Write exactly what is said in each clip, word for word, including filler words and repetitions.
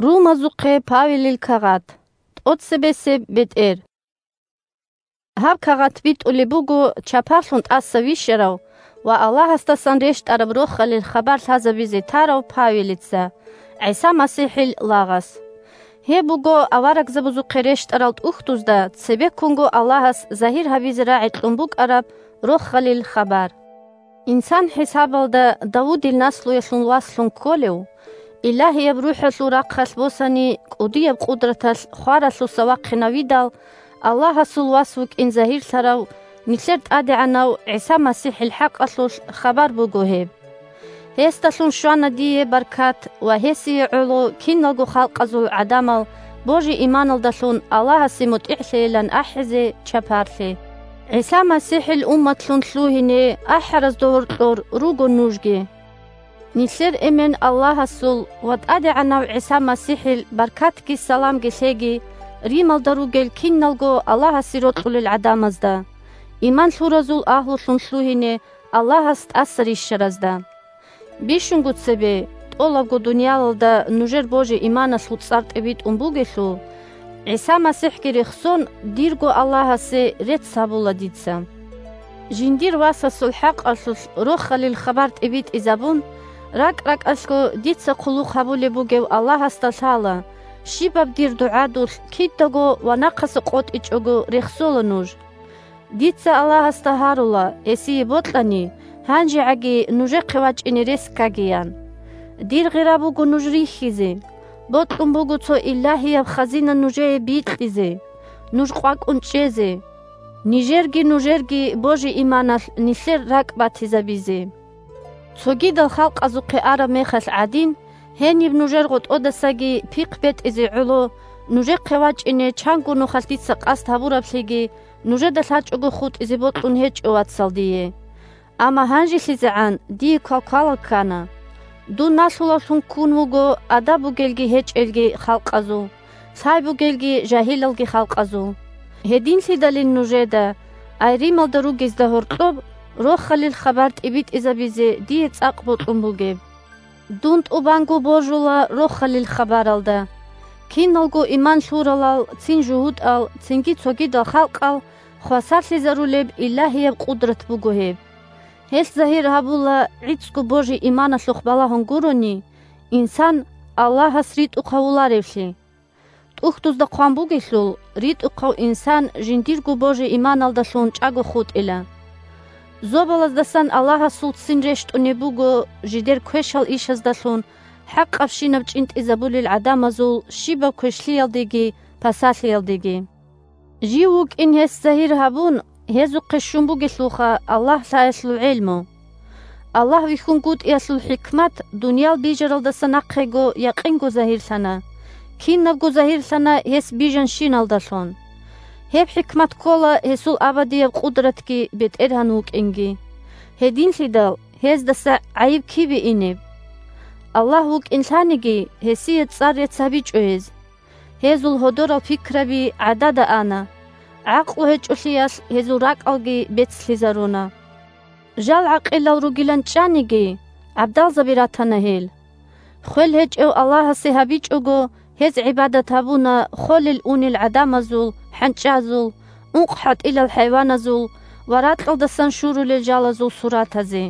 Румазухъе Павелил кагъат. ТӀоцебесеб бетӀер. Гьаб кагъат битӀулеб буго чапарлъун тӀаса вищарав ва Аллагьасдасан рещтӀараб рохалил хабар лъазабизе тарав Павелица ГӀиса МасихӀил лагъас. Гьеб буго аварагзабазухъе рещтӀарал тӀухьдузда цебеккунго Аллагьас загьир гьабизе рагӀи кьун букӀараб рохалил хабар. Инсан хӀисабалда Давудил наслуялъул васлъун кколев, Илагьияб РухӀалъул рахъалъ босани, кӀудияб къудраталъ хваралъуса вахъинавидал, Аллагьасул вас вукӀин загьирлъарав нилъер ТӀадегӀанав ГӀиса МасихӀил хӀакъалъулъ хабар буго гьеб. Гьесдалъун щвана дие баркат ва гьесие гӀоло киналго халкъазул гӀадамал божи-иманалдалъун Аллагьасе мутӀигӀлъейилан ахӀизе чапарлъи. ГӀиса МасихӀил умматлъун лъугьине ахӀаразда гьоркьор руго нужги. Нилъер Эмен Аллагьасул ва ТӀадегӀанав ГӀиса МасихӀил баркатги саламги лъеги Рималда ругел киналго Аллагьасе рокьулел гӀадамазда, иман лъуразул агьлулъун лъугьине Аллагьас тӀаса рищаразда. Бищунго цебе, тӀолабго дуниялалда нужер божи-иманалъул цӀар тӀибитӀун бугелъул, ГӀиса МасихӀги рехсон, дирго Аллагьасе рецц гьабула дица. Жиндир Васасул хӀакъалъулъ рохалил хабар тӀибитӀизабун, ракӀ-ракӀалъго дица хъулухъ гьабулеб бугев Аллагьасда лъала, щибаб дир дугӀадулъ кидаго ва нахъаса къотӀичӀого рехсола нуж. Дица Аллагьасда гьарула, гьесие бокьани, гьанжегӀаги нужехъе вачӀине рес ккагиян. Дир гъира буго нуж рихьизе, бокьун буго цо илагьияб хазина нужее бикьизе, нуж къвакӀун чӀезе, нижерги-нужерги божи-иманалъ нилъер ракӀ батизабизе. Цогидал халкъазухъе араб мехалъ гӀадин, гьениб нужер гъотӀодасаги пихъ бетӀизе гӀоло, нужехъе вачӀине чанго нухалъ дица къасд гьабураблъиги нужеда лъачӀого хутӀизе бокьун гьечӀо, вацал, дие. Амма гьанжелъизегӀан дие квалквалал ккана. Дун налъулавлъун ккун вуго адаб бугелги гьечӀелги халкъазул, лъай бугелги жагьилалги халкъазул. Гьединлъидалин нужеда, ай Рималда ругезда гьоркьоб, рохалил хабар тӀибитӀизабизе дие цӀакъ бокьун бугеб. Дун тӀубанго божула рохалил хабаралда. Киналго иман лъуралал, цин жугьутӀал, цинги цогидал халкъал хвасарлъизарулеб илагьияб къудрат буго гьеб. Гьелъ загьир гьабула, гӀицӀго божи-иманалъухъ балагьун гурони, инсан Аллагьас ритӀухъ гьавуларевлъи. ТӀухьдузда хъван бугелъул, ритӀухъав инсан жиндирго божи-иманалдалъун чӀаго хутӀила. Зобалаздасан Аллагьасул ццин рещтӀунеб буго жидер квешал ишаздалъун хӀакъабщинаб чӀинтӀизабулел гӀадамазул щибаб квешлъиялдеги пасалъиялдеги. Жив вукӀин гьес загьир гьабун, гьезухъе щун бугелъулха Аллагь лъаялъул гӀелму. Аллагь вихьунгутӀиялъул хӀикмат дуниял бижаралдаса нахъего якъинго загьирлъана, кинабго загьирлъана гьес бижанщиналдалъун. Гьеб хӀикмат ккола гьесул абадияб къудратги БетӀергьан вукӀинги. Гьединлъидал гьездаса гӀайиб кибе инеб? Аллагь вукӀин лъаниги, гьесие цӀар рецц гьабичӀо гьез. Гьезул гьодорал пикраби гӀадада ана, гӀакълу гьечӀолъиялъ гьезул ракӀалги бецлъизаруна. Жал гӀакъилал ругилан чӀаниги, гӀабдалзаби ратана гьел. Хвел гьечӀев Аллагьасе гьабичӀого, гьез гӀибадат гьабуна холел-унел гӀадамазул, хӀанчӀазул, ункъ-хӀатӀилал хӀайваназул ва ракьалдасан щурулел жалазул суратазе.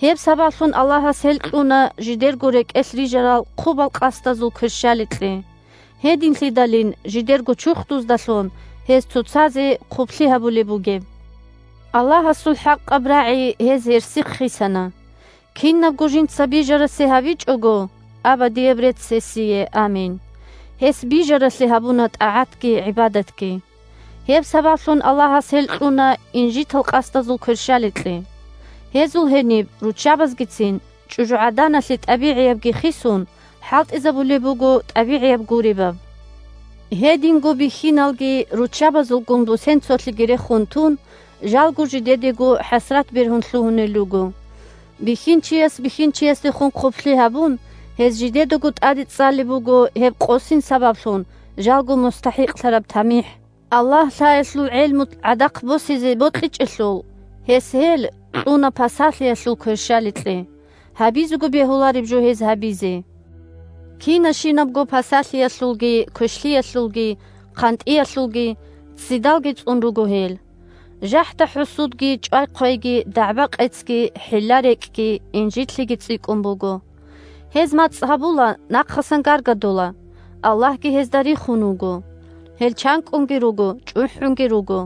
Гьеб сабаблъун Аллагьас гьел кьуна жидерго рекӀелъ рижарал хъубал къасдазул кверщаликье. Гьединлъидалин жидерго чурхдуздалъун гьез цоцазе хъублъи гьабулеб бугеб. Аллагьасул хӀакъаб рагӀи гьез гьерсихъ хисана. Кинабго жинца бижарасе гьабичӀого, абадияб рецц гьесие, амин. Гьес бижаралъе гьабуна тӀагӀатги гӀибадатги. Гьеб сабаблъун Аллагьас гьел кьуна инжитал къасдазул кверщаликье. Гьезул гьениб руччабазгицин, чӀужугӀаданалъе тӀабигӀиябги хисун, хӀалтӀизабулеб буго тӀабигӀияб гуребаб. Гьединго бихьиналги руччабазулгун бусенцолъиги рехун тун, жалго жидедего хӀасрат бергьун лъугьунел руго. Бихьинчияс бихьинчиясдехун хъублъи гьабун, гьез жидедаго тӀаде цӀалеб буго гьеб къосин сабаблъун жалго мустахӀикълъараб тамихӀ. Аллагь лъаялъул гӀелму гӀадахъ босизе бокьичӀелъул, гьес гьел кьуна пасалъиялъул кверщаликье, гьабизего бегьулареб жо гьез гьабизе. Кинашинабго пасалъиялъулги, квешлъиялъулги, хъантӀиялъулги, ццидалги цӀун руго гьел. ЖахӀда-хӀусудги, чӀвай-хъвайги, дагӀба-къецги, хӀилла-рекӀкӀги, инжитлъиги цӀикӀкӀун буго. Гьез мацӀ гьабула, нахъасан гаргадула. Аллагьги гьезда рихун вуго. Гьел чанкӀкӀунги руго, чӀухӀунги руго.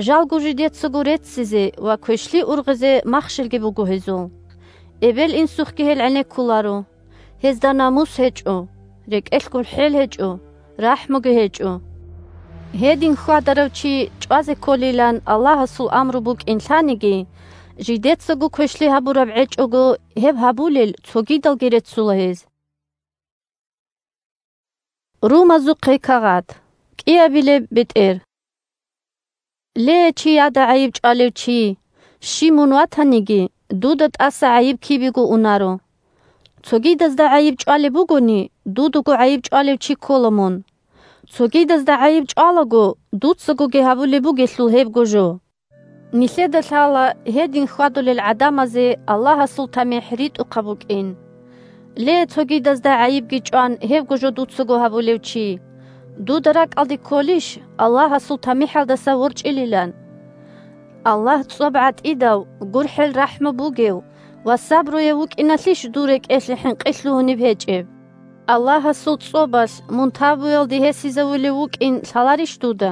Жалго жидецаго реццизе ва квешлъи ургъизе махщелги буго гьезул. Эбел-инсухъги гьел гӀенеккуларо. Гьезда намус гьечӀо, рекӀелъ гурхӀел гьечӀо, рахӀмуги гьечӀо. Гьедин хьвадарав чи чӀвазе кколилан Аллагьасул амру букӀин лъаниги, жидецаго квешлъи гьабураб гӀечӀого гьеб гьабулел цогидалги реццула гьез. Румазухъе кагъат. КӀиабилеб бетӀер. Ле, чияда гӀайиб чӀвалев чи! Щиб мун ватаниги, дуда тӀаса гӀайиб кибего унаро. Цогидазда гӀайиб чӀвалеб бугони, дудаго гӀайиб чӀвалев чи ккола мун. Цогидазда гӀайиб чӀвалаго, дуцагоги гьабулеб бугелъул гьебго жо. Нилъеда лъала гьедин хьвадулел гӀадамазе Аллагьасул тамихӀ ритӀухъаб букӀин. Ле, цогидазда гӀайибги чӀван гьебго жо дуцаго гьабулев чи! Дуда ракӀалде кколищ Аллагьасул тамихӀалдаса ворчӀилилан? Аллагь цӀоб гӀатӀидав, гурхӀел-рахӀму бугев ва сабруяв вукӀиналъищ дур рекӀелъе хӀинкъи лъугьунеб гьечӀеб? Аллагьасул цӀобалъ мун табуялде гьесизавулев вукӀин лъаларищ дуда?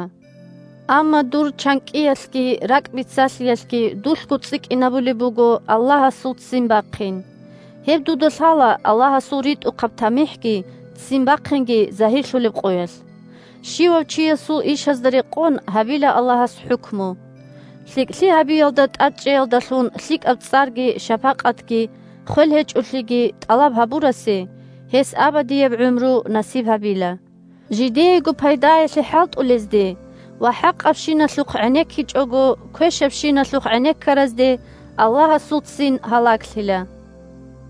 Амма дур чанкӀкӀиялъги ракӀбиццалъиялъги дулъго цӀикӀкӀинабулеб буго Аллагьасул ццин бахъин. Гьеб дуда лъала Аллагьасул ритӀухъаб тамихӀги ццин бахъинги загьирлъулеб къоялъ. Щивав чиясул ишазда рекъон гьабила Аллагьас хӀукму. ЛъикӀлъи гьабиялда тӀадчӀеялдалъун лъикӀаб цӀарги шапакъатги хвел гьечӀолъиги тӀалаб гьабурасе, гьес абадияб гӀумру насиб гьабила. Жидеего пайдаялъе хӀалтӀулезде ва хӀакъабщиналъухъ гӀенеккичӀого квешабщиналъухъ гӀенеккаразде Аллагьасул ццин гьалаглъила.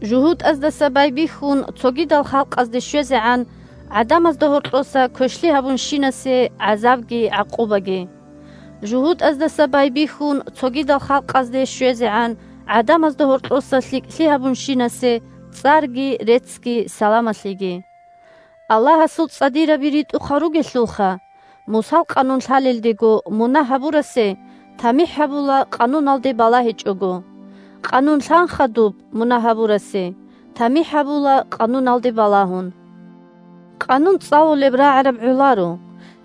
ЖугьутӀаздаса байбихьун цогидал халкъазде щвезегӀан гӀадамазда гьоркьоса квешлъи гьабунщинасе гӀазабги гӀакъубаги. ЖугьутӀаздаса байбихьун цогидал халкъазде щвезегӀан гӀадамазда гьоркьоса лъикӀлъи гьабунщинасе цӀарги реццги саламалъиги. Аллагьасул цӀадираби ритӀухъал ругелъулха, Мусал къанун лъалелдего мунагь гьабурасе тамихӀ гьабула къануналде балагьичӀого. Къанун лъанха дуб мунагь гьабурасе, тамихӀ гьабула къануналде балагьун. Къанун цӀалулеб рагӀараб гӀоларо,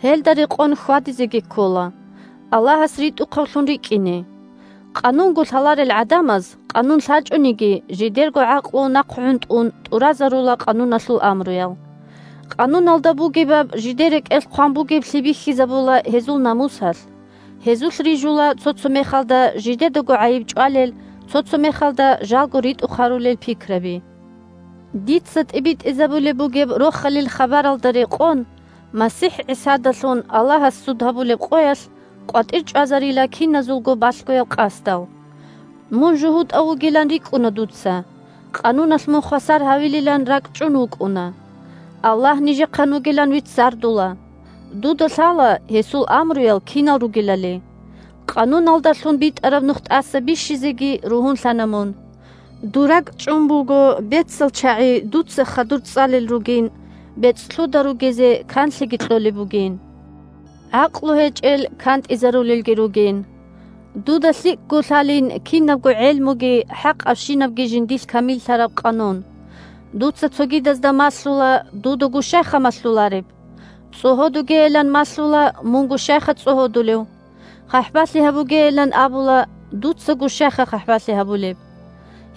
гьелда рекъон хьвадизеги ккола, Аллагьас ритӀухъавлъун рикӀкӀине. Къанунго лъаларел гӀадамаз, къанун лъачӀониги, жидерго гӀакълу нахъ гӀунтӀун тӀуразарула къануналъул амруял. Къануналда бугебаб жидер рекӀелъ хъван бугеблъи бихьизабула гьезул намусалъ. Гьезулъ рижула цо-цо мехалда жидедаго гӀайиб чӀвалел, цо-цо мехалда жалго ритӀухъ гьарулел пикраби. Дица тӀибитӀизабулеб бугеб рохалил хабаралда рекъон, МасихӀ ГӀисадалъун Аллагьас суд гьабулеб къоялъ къватӀир чӀвазарила киназулго балъгоял къасдал. Мун жугьутӀав вугилан рикӀкӀуна дуца, къануналъ мун хвасар гьавилилан ракӀчӀун вукӀуна. Аллагь нижехъан вугилан виццардула. Дуда лъала гьесул амруял кинал ругелали. Къануналдалъун битӀараб нух тӀаса бищизеги ругьунлъана мун. Дур ракӀчӀун буго бецал чагӀи дуца хадур цӀалел ругин, бецӀлъуда ругезе канлъиги кьолеб бугин. ГӀакълу гьечӀел кантӀизарулелги ругин. Дуда лъикӀго лъалин кинабго гӀелмуги хӀакъабщинабги жиндилъ камиллъараб къанун. Дуца цогидазда малъула, дудаго щайха малъулареб? ЦӀогьодугейилан малъула, мунго щайха цӀогьодулев? ХъахӀбалъи гьабугейилан абула, дуцаго щайха хъахӀбалъи гьабулеб?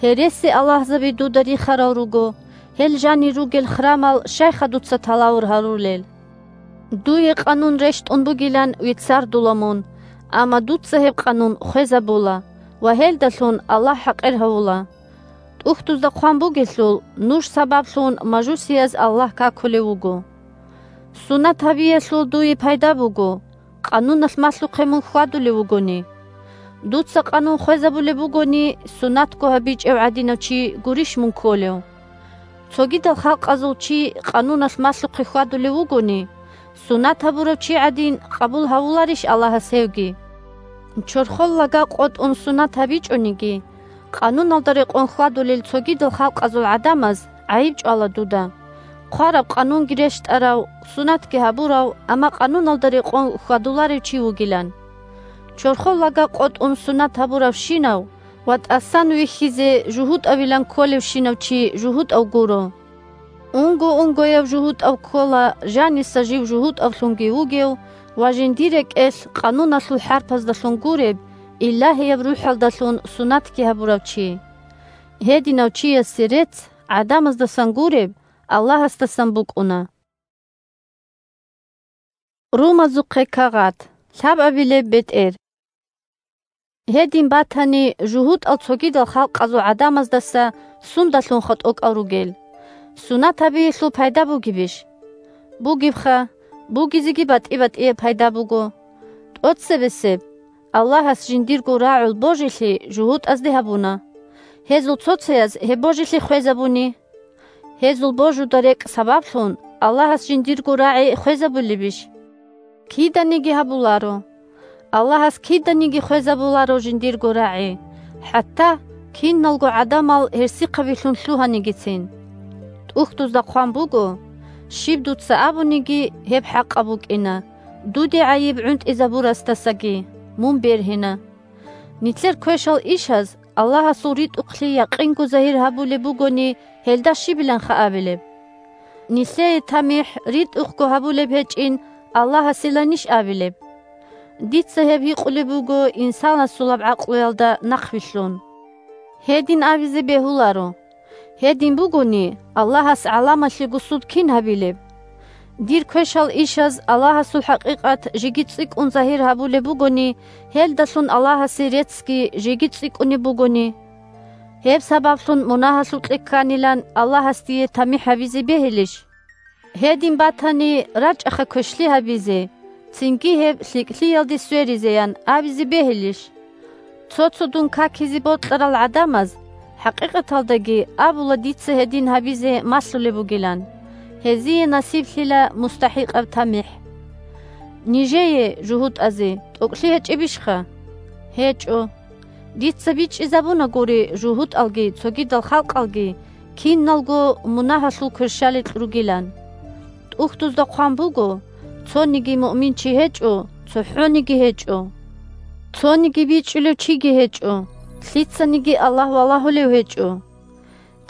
Гьереси-аллагьзаби дуда рихарал руго, гьел жанир ругел храмал щайха дуца талавур гьарулел? Дуе къанун рещтӀун бугилан виццардула мун, амма дуца гьеб къанун хвезабула ва гьелдалъун Аллагь хӀакъир гьавула. ТӀухьдузда хъван бугелъул, нуж сабаблъун мажусияз Аллагь какулев вуго. Сунат гьабиялъул дуе пайда буго, къануналъ малъухъе мун хьвадулев вугони. Дуца къанун хвезабулеб бугони, сунатго гьабичӀев гӀадинав чи гурищ мун кколев? Цогидал халкъазул чи къануналъ малъухъе хьвадулев вугони, сунат гьабурав чи гӀадин къабул гьавуларищ Аллагьас гьевги? Чорхол лага къотӀун сунат гьабичӀониги, къануналда рекъон хьвадулел цогидал халкъазул гӀадамаз гӀайиб чӀвала дуда. хъвараб къанунги рещтӀарав, суннатги гьабурав, амма къануналда рекъон хьвадуларев чи вугилан. Чорхол лага къотӀун суннат гьабуравщинав ва тӀасан вихьизе жугьутӀавилан кколевщинав чи жугьутӀав гуро. Унго-унгояв жугьутӀав ккола, жаниса жив жугьутӀавлъунги вугев ва жиндир рекӀелъ къануналъул хӀарпаздалъун гуреб, Илагьияб РухӀалдалъун суннатги гьабурав чи. Гьединав чиясе рецц, гӀадамаздасан гуреб, Аллагьасдасан букӀуна. Румазухъе кагъат. Лъабабилеб бетӀер. Гьедин батани, жугьутӀал цогидал халкъазул гӀадамаздаса сундалъунха тӀокӀал ругел? Суннат гьабиялъул пайда бугебищ? Бугебха, бугезеги батӀи-батӀияб пайда буго. ТӀоцебесеб, Аллагьас жиндирго рагӀул божилъи жугьутӀазде гьабуна. Гьезул цо-цояз гьеб божилъи хвезабуни. Гьезул божуда рекӀ сабаблъун Аллагьас жиндирго рагӀи хвезабулебищ? Киданиги гьабуларо. Аллагьас киданиги хвезабуларо жиндирго рагӀи, хӀатта киналго гӀадамал гьерсихъабилъун лъугьанигицин. ТӀухьдузда хъван буго: «Щиб дуца абуниги, гьеб хӀакъаб букӀина, дуде гӀайиб гӀунтӀизабурасдасаги мун бергьина». Нилъер квешал ишаз Аллагьасул ритӀухълъи якъинго загьир гьабулеб бугони, гьелда щибиланха абилеб? Нилъее тамихӀ ритӀухъго гьабулеб гьечӀин Аллагьасиланищ абилеб? Дица гьеб гьикъулеб буго инсанасулаб гӀакълуялда нахъвилълъун. Гьедин абизе бегьуларо. Гьедин бугони, Аллагьас гӀаламалъего суд кин гьабилеб? Дир квешал ишаз Аллагьасул хӀакъикъат жеги цӀикӀкӀун загьир гьабулеб бугони, гьелдалъун Аллагьасе реццги жеги цӀикӀкӀунеб бугони, гьеб сабаблъун мунагьалъукье кканилан Аллагьас дие тамихӀ гьабизе бегьилищ? Гьедин батани, рачӀаха квешлъи гьабизе, цинги гьеб лъикӀлъиялде сверизеян абизе бегьилищ? Цо-цо дун какизе бокьарал гӀадамаз, хӀакъикъаталдаги абула дица гьедин гьабизе малъулеб бугилан, гьезие насиблъила мустахӀикъаб тамихӀ. Нижее, жугьутӀазе, тӀокӀлъи гьечӀебищха? ГьечӀо. Дица бичӀчӀизабунагури жугьутӀалги цогидал халкъалги киналго мунагьалъул кверщаликь ругилан. ТӀухьдузда хъван буго: «Цониги муъминчи гьечӀо, цохӀониги гьечӀо. Цониги бичӀчӀулев чиги гьечӀо, лъицаниги Аллагь валагьулев гьечӀо.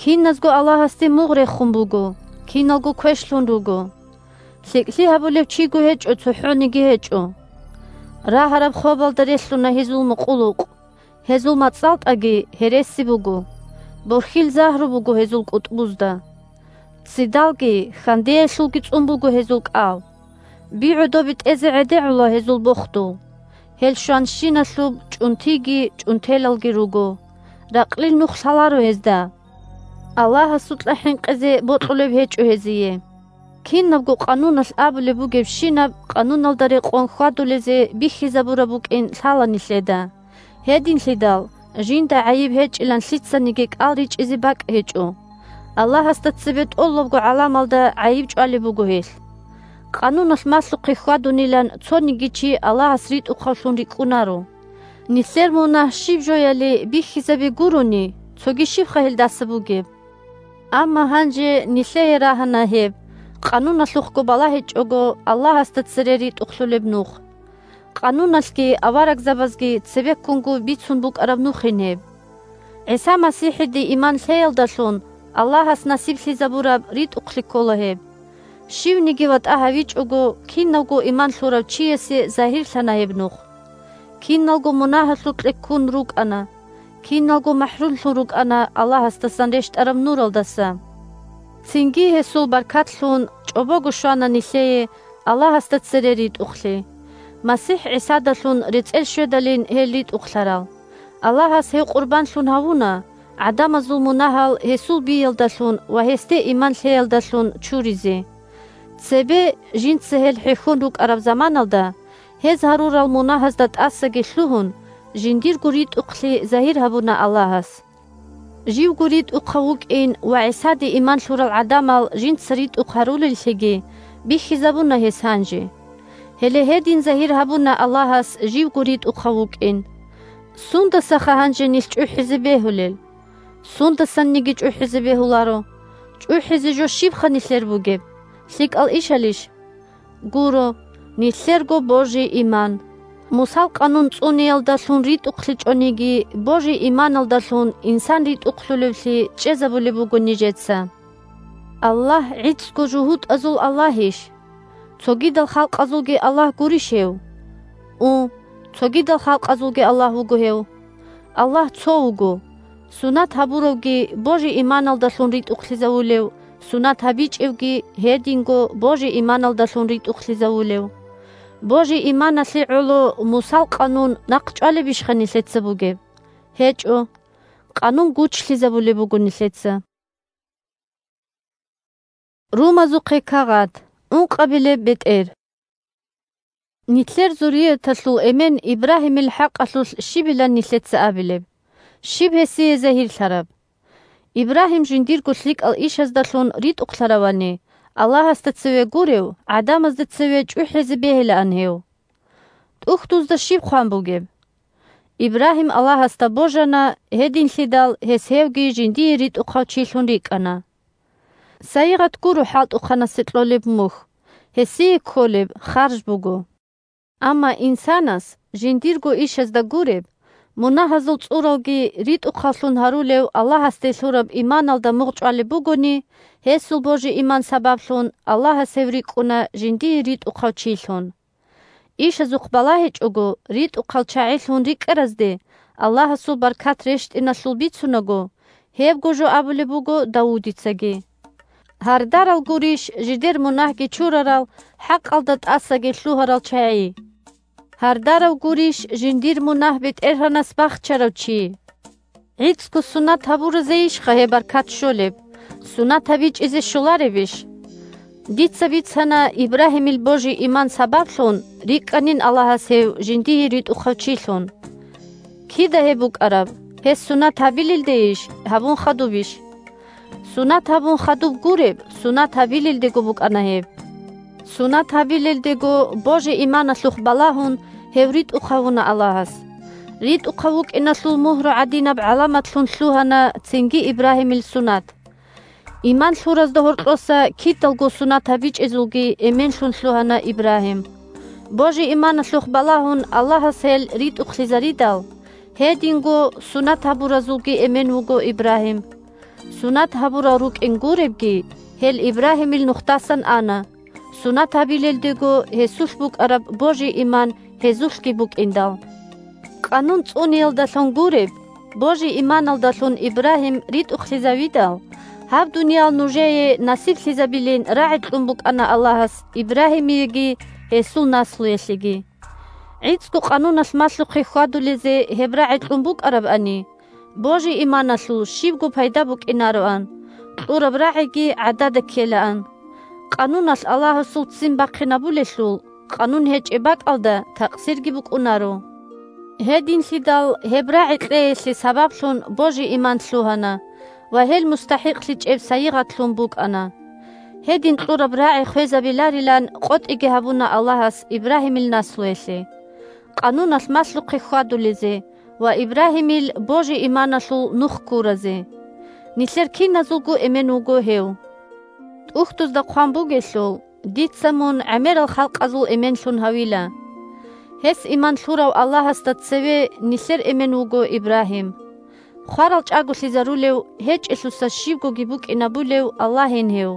Киназго Аллагьасде мугъ рехун буго, киналго квешлъун руго. ЛъикӀлъи гьабулев чиго гьечӀо, цохӀониги гьечӀо». Рагьараб хобалда релълъуна гьезул мукъулукъ. Гьезул мацӀалтӀаги гьереси буго, борхьил загьру буго гьезул кӀутӀбузда. Цидалги, хьандеялъулги цӀун буго гьезул кӀал. Би-гӀодоби тӀезе гӀедегӀула гьезул бохдул. Гьел щванщиналъуб чӀунтиги чӀунтелалги руго, ракълил нух лъаларо гьезда. Аллагьасукьа хӀинкъизе бокьулеб гьечӀо гьезие. Кинабго къануналъ абулеб бугебщинаб къануналда рекъон хьвадулезе бихьизабураб букӀин лъала нилъеда. Гьединлъидал, жинда гӀайиб гьечӀилан лъицаниги кӀал ричӀчӀизе бакӀ гьечӀо. Аллагьасда цебе тӀолабго гӀаламалда гӀайиб чӀвалеб буго гьелъ. Къануналъ малъухъе хьвадунилан цониги чи Аллагьас ритӀухъавлъун рикӀкӀунаро. Нилъер мунагь щиб жояли бихьизаби гурони, цоги щибха гьелдаса бугеб? Амма гьанже нилъее рагьана гьеб, къануналъухъго балагьичӀого Аллагьасда цере ритӀухълъулеб нух. Къануналъги аварагзабазги цебеккунго бицун букӀараб нухин гьеб. ГӀиса МасихӀиде иман лъеялдалъун Аллагьас насиблъизабураб ритӀухълъи ккола гьеб. Щивниги ватӀа гьавичӀого, кинавго иман лъурав чиясе загьирлъана гьеб нух. Киналго мунагьалъукье ккун рукӀана, киналго махӀрумлъун рукӀана Аллагьасдасан рещтӀараб нуралдаса. Цинги гьесул баркатлъун чӀобого щвана нилъее Аллагьасда цере ритӀухълъи. МасихӀ ГӀисадалъун рецӀел щведалин гьел ритӀухълъарал. Аллагьас гьев къурбанлъун гьавуна, гӀадамазул мунагьал гьесул биялдалъун ва гьесде иман лъеялдалъун чуризе. Цебе, жинца гьел хӀехьон рукӀараб заманалда, гьез гьарурал мунагьазда тӀасаги лъугьун, жиндирго ритӀухълъи загьир гьабуна Аллагьас. Живго ритӀухъав вукӀин ва ГӀисаде иман лъурал гӀадамал жинца ритӀухъ гьарулеллъиги бихьизабуна гьес гьанже. Гьеле гьедин загьир гьабуна Аллагьас живго ритӀухъав вукӀин. Сундасаха гьанже нилъ чӀухӀизе бегьулел? Сундасанниги чӀухӀизе бегьуларо. ЧӀухӀизе жо щибха нилъер бугеб? ЛъикӀал ишалищ? Гуро, нилъерго божи-иман. Мусал къанун цӀуниялдалъун ритӀухълъичӀониги, божи-иманалдалъун инсан ритӀухълъулевлъи чӀезабулеб буго нижеца. Аллагь гӀицӀго жугьутӀазул Аллагьищ? Цогидал халкъазулги Аллагь гурищ гьев? У, цогидал халкъазулги Аллагь вуго гьев. Аллагь цо вуго. Сунат гьабуравги божи-иманалдалъун ритӀухълъизавулев, сунат гьабичӀевги гьединго божи-иманалдалъун ритӀухълъизавулев. Божи-иманалъе гӀоло Мусал къанун нахъ чӀвалебищха нилъеца бугеб? ГьечӀо. Къанун гучлъизабулеб буго нилъеца. Румазухъе кагъат. Ункъабилеб бетӀер. Нилъер зуррияталъул эмен Ибрагьимил хӀакъалъулъ щибилан нилъеца абилеб? Щиб гьесие загьирлъараб? Ибрагьим жиндирго лъикӀал ишаздалъун ритӀухълъаравани, Аллагьасда цеве гурев, гӀадамазда цеве чӀухӀизе бегьилаан гьев. ТӀухьдузда щиб хъван бугеб? Ибрагьим Аллагьасда божана, гьединлъидал гьес гьевги жиндие ритӀухъав чилъун рикӀкӀана. Сайигъат гуро хӀалтӀухъанасе кьолеб мухь, гьесие кколеб харж буго. Амма инсанас, жиндирго ишазда гуреб, мунагьазул цӀуралги ритӀухъавлъун гьарулев Аллагьасде лъураб иманалда мугъ чӀвалеб бугони, гьесул божи-иман сабаблъун Аллагьас гьев рикӀкӀуна жиндие ритӀухъав чилъун. Ишазухъ балагьичӀого, ритӀухъал чагӀилъун рикӀкӀаразде Аллагьасул баркат рещтӀиналъул бицунаго, гьебго жо абулеб буго Давудицаги: «Гьардарал гурищ жидер мунагьги чурарал, хӀакъалда тӀасаги лъугьарал чагӀи? Гьардарав гурищ жиндир мунагь БетӀергьанас бахчарав чи?» ГӀицӀго сунат гьабуразейищха гьеб баркат щолеб? Сунат гьабичӀизе щоларебищ? Дица бицана Ибрагьимил божи-иман сабаблъун рикӀкӀанин Аллагьас гьев жиндие ритӀухъав чилъун. Кида гьеб букӀараб? Гьес сунат гьабилелдейищ, гьабун хадубищ? Сунат гьабун хадуб гуреб, сунат гьабилелдего букӀана гьеб. Сунат гьабилелдего божи-иманалъухъ балагьун, гьев ритӀухъ гьавуна Аллагьас. РитӀухъав вукӀиналъул мугьру гӀадинаб гӀаламатлъун лъугьана цинги Ибрагьимил сунат. Иман лъуразда гьоркьоса кидалго сунат гьабичӀезулги эменлъун лъугьана Ибрагьим. Божи-иманалъухъ балагьун Аллагьас гьел ритӀухълъизаридал, гьединго сунат гьабуразулги эмен вуго Ибрагьим. Сунат гьабурал рукӀин гуребги, гьел Ибрагьимил нухдасан ана. Сунат гьабилелдего гьесулъ букӀараб божи-иман гьезулъги букӀиндал. Къанун цӀуниялдалъун гуреб, божи-иманалдалъун Ибрагьим ритӀухълъизавидал, гьаб дуниял нужее насиблъизабилин рагӀи кьун букӀана Аллагьас Ибрагьимиеги гьесул наслуялъеги. ГӀицӀго къануналъ малъухъе хьвадулезе гьеб рагӀи кьун букӀарабани, божи-иманалъул щибго пайда букӀинароан, кьураб рагӀиги гӀадада ккелаан. Къануналъ Аллагьасул ццин бахъинабулелъул, къанун гьечӀеб бакӀалда такъсирги букӀунаро. Гьединлъидал гьеб рагӀи кьеялъе сабаблъун божи-иман лъугьана ва гьел мустахӀикълъичӀеб сайигъатлъун букӀана. Гьедин кьураб рагӀи хвезабиларилан къотӀиги гьабуна Аллагьас Ибрагьимил наслуялъе, къануналъ малъухъе хьвадулезе ва Ибрагьимил божи-иманалъул нух ккуразе. Нилъер киназулго эмен вуго гьев. ТӀухьдузда хъван бугелъул: «Дица мун гӀемерал халкъазул эменлъун гьавила». Гьес иман лъурав Аллагьасда цеве нилъер эмен вуго Ибрагьим. Хварал чӀаголъизарулев, гьечӀелъуса щибгоги букӀинабулев Аллагьин гьев.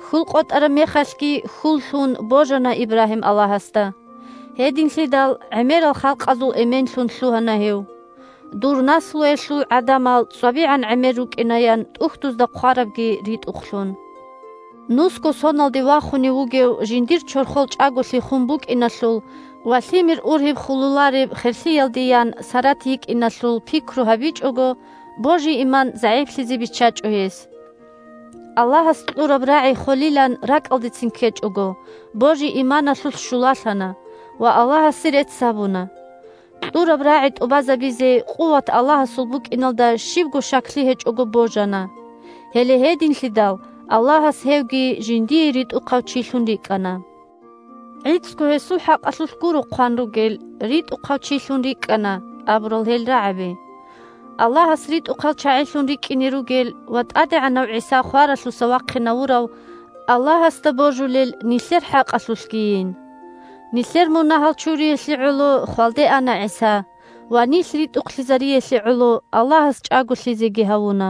Хьул къотӀараб мехалъги хьул лъун божана Ибрагьим Аллагьасда. Гьединлъидал гӀемерал халкъазул эменлъун лъугьана гьев. «Дур наслуялъул гӀадамал цӀвабигӀан гӀемер рукӀинаян тӀухьдузда хъварабги ритӀухълъун». Нусго соналде вахунев вугев жиндир чорхол чӀаголъи хун букӀиналъул ва лъимер ургьиб хулулареб херлъиялдеян Сарат йикӀиналъул пикру гьабичӀого, божи-иман загӀиплъизе биччачӀо гьес. Аллагьас кьураб рагӀи холилан ракӀалдецин ккечӀого, божи-иманалъулъ щулалъана ва Аллагьасе рецц гьабуна. Кьураб рагӀи тӀубазабизе къуват Аллагьасул букӀиналда щибго щаклъи гьечӀого божана. Гьеле гьединлъидал Аллагьас гьевги жиндие ритӀухъав чилъун рикӀкӀана. ГӀицӀго гьесул хӀакъалъулъ гуро хъван ругел: «РитӀухъав чилъун рикӀкӀана», – абурал гьел рагӀаби. Аллагьас ритӀухъал чагӀилъун рикӀкӀине ругел ва ТӀадегӀанав ГӀиса хваралъуса вахъинавурав Аллагьасда божулел нилъер хӀакъалъулъгийин. Нилъер мунагьал чуриялъе гӀоло хвалде ана ГӀиса ва нилъ ритӀухълъизариялъе гӀоло Аллагьас чӀаголъизеги гьавуна.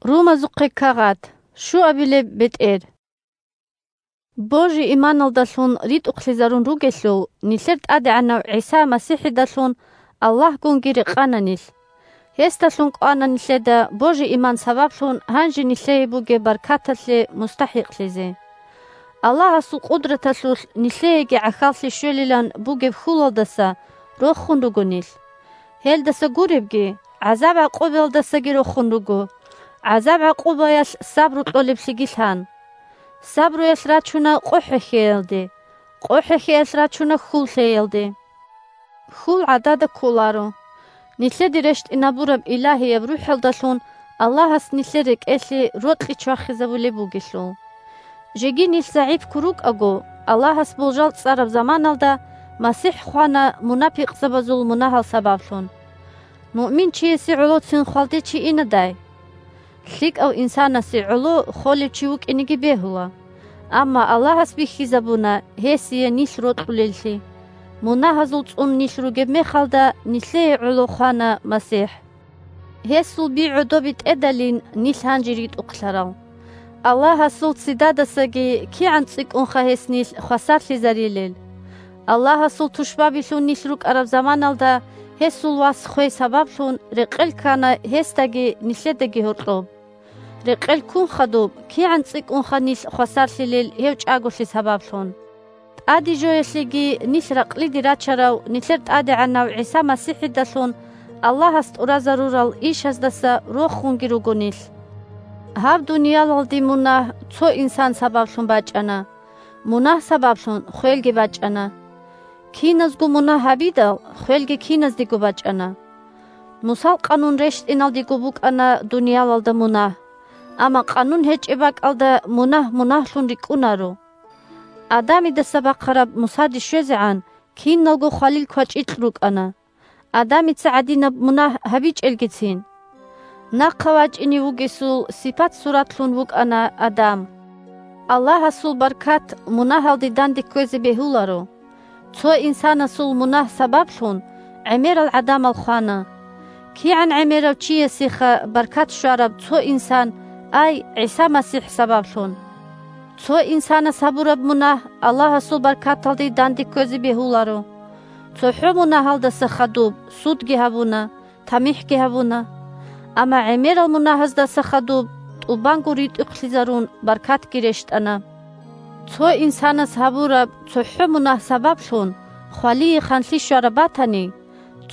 Румазухъе кагъат, щуабилеб бетӀер. Божи-иманалдалъун ритӀухълъизарун ругелъул, нилъер ТӀадегӀанав ГӀиса МасихӀидалъун Аллагьгунги рекъана нилъ. Гьесдалъун кӀвана нилъеда божи-иман сабаблъун гьанже нилъее бугеб баркаталъе мустахӀикълъизе. Аллагьасул къудраталъулъ нилъееги гӀахьаллъи щвелилан бугеб хьулалдаса рохун руго нилъ. Гьелдаса гуребги, гӀазаб-гӀакъубаялдасаги рохун руго. ГӀазаб-гӀакъубаялъ сабру кьолеблъиги лъан. Сабруялъ рачуна къо хӀехьеялде, къо хӀехьеялъ рачуна хьул лъеялде. Хьул гӀадада кколаро. Нилъеде рещтӀинабураб Илагьияб РухӀалдалъун Аллагьас нилъер рекӀелъе рокьи чвахизабулеб бугелъул. Жеги нилъ загӀипго рукӀаго, Аллагьас болжал цӀараб заманалда МасихӀ хвана мунапикъзабазул мунагьал сабаблъун. Муъмин чиясе гӀолоцин хвалде чи инадай? ЛъикӀав инсанасе гӀоло холев чи вукӀинеги бегьула. Амма Аллагьас бихьизабуна гьесие нилъ рокьулеллъи. Мунагьазул цӀун нилъ ругеб мехалда, нилъее гӀоло хвана МасихӀ. Гьесул би гӀодобе тӀедалин нилъ гьанже ритӀухълъарал. Аллагьасул ццидадасаги кигӀан цӀикӀкӀунха гьес нилъ хвасарлъизарилел! Аллагьасул тушбабилъун нилъ рукӀараб заманалда гьесул вас хвей сабаблъун рекъел ккана гьесдаги нилъедаги гьоркьоб. Рекъел ккун хадуб, кигӀан цӀикӀкӀунха нилъ хвасарлъилел гьев чӀаголъи сабаблъун. ТӀаде жоялъеги нилъ ракълиде рачарав нилъер ТӀадегӀанав ГӀиса МасихӀидалъун Аллагьас тӀуразарурал ишаздаса рохунги руго нилъ. Гьаб дуниялалде мунагь цо инсан сабаблъун бачӀана, мунагь сабаблъун хвелги бачӀана. Киназго мунагь гьабидал, хвелги киназдего бачӀана. Мусал къанун рещтӀиналдего букӀана дуниялалда мунагь, амма къанун гьечӀеб бакӀалда мунагь мунагьлъун рикӀкӀунаро. Адамидаса бахъараб Мусаде щвезегӀан киналго хвалил квачӀикь рукӀана. Адамица гӀадинаб мунагь гьабичӀелгицин. Нахъа вачӀине вугесул сипат-суратлъун вукӀана Адам. Аллагьасул баркат мунагьалде данде кквезе бегьуларо. Цо инсанасул мунагь сабаблъун гӀемерал гӀадамал хвана. КигӀан гӀемерав чиясеха баркат щвараб цо инсан, ай, ГӀиса МасихӀ сабаблъун! Цо инсанас гьабураб мунагь Аллагьасул баркаталде данде кквезе бегьуларо. ЦохӀо мунагьалдаса хадуб судги гьабуна, тамихӀги гьабуна. Амма гӀемерал мунагьаздаса хадуб тӀубанго ритӀухълъизарун баркатги рещтӀана. Цо инсанас гьабураб цохӀо мунагь сабаблъун хвалие ханлъи щвараб батани,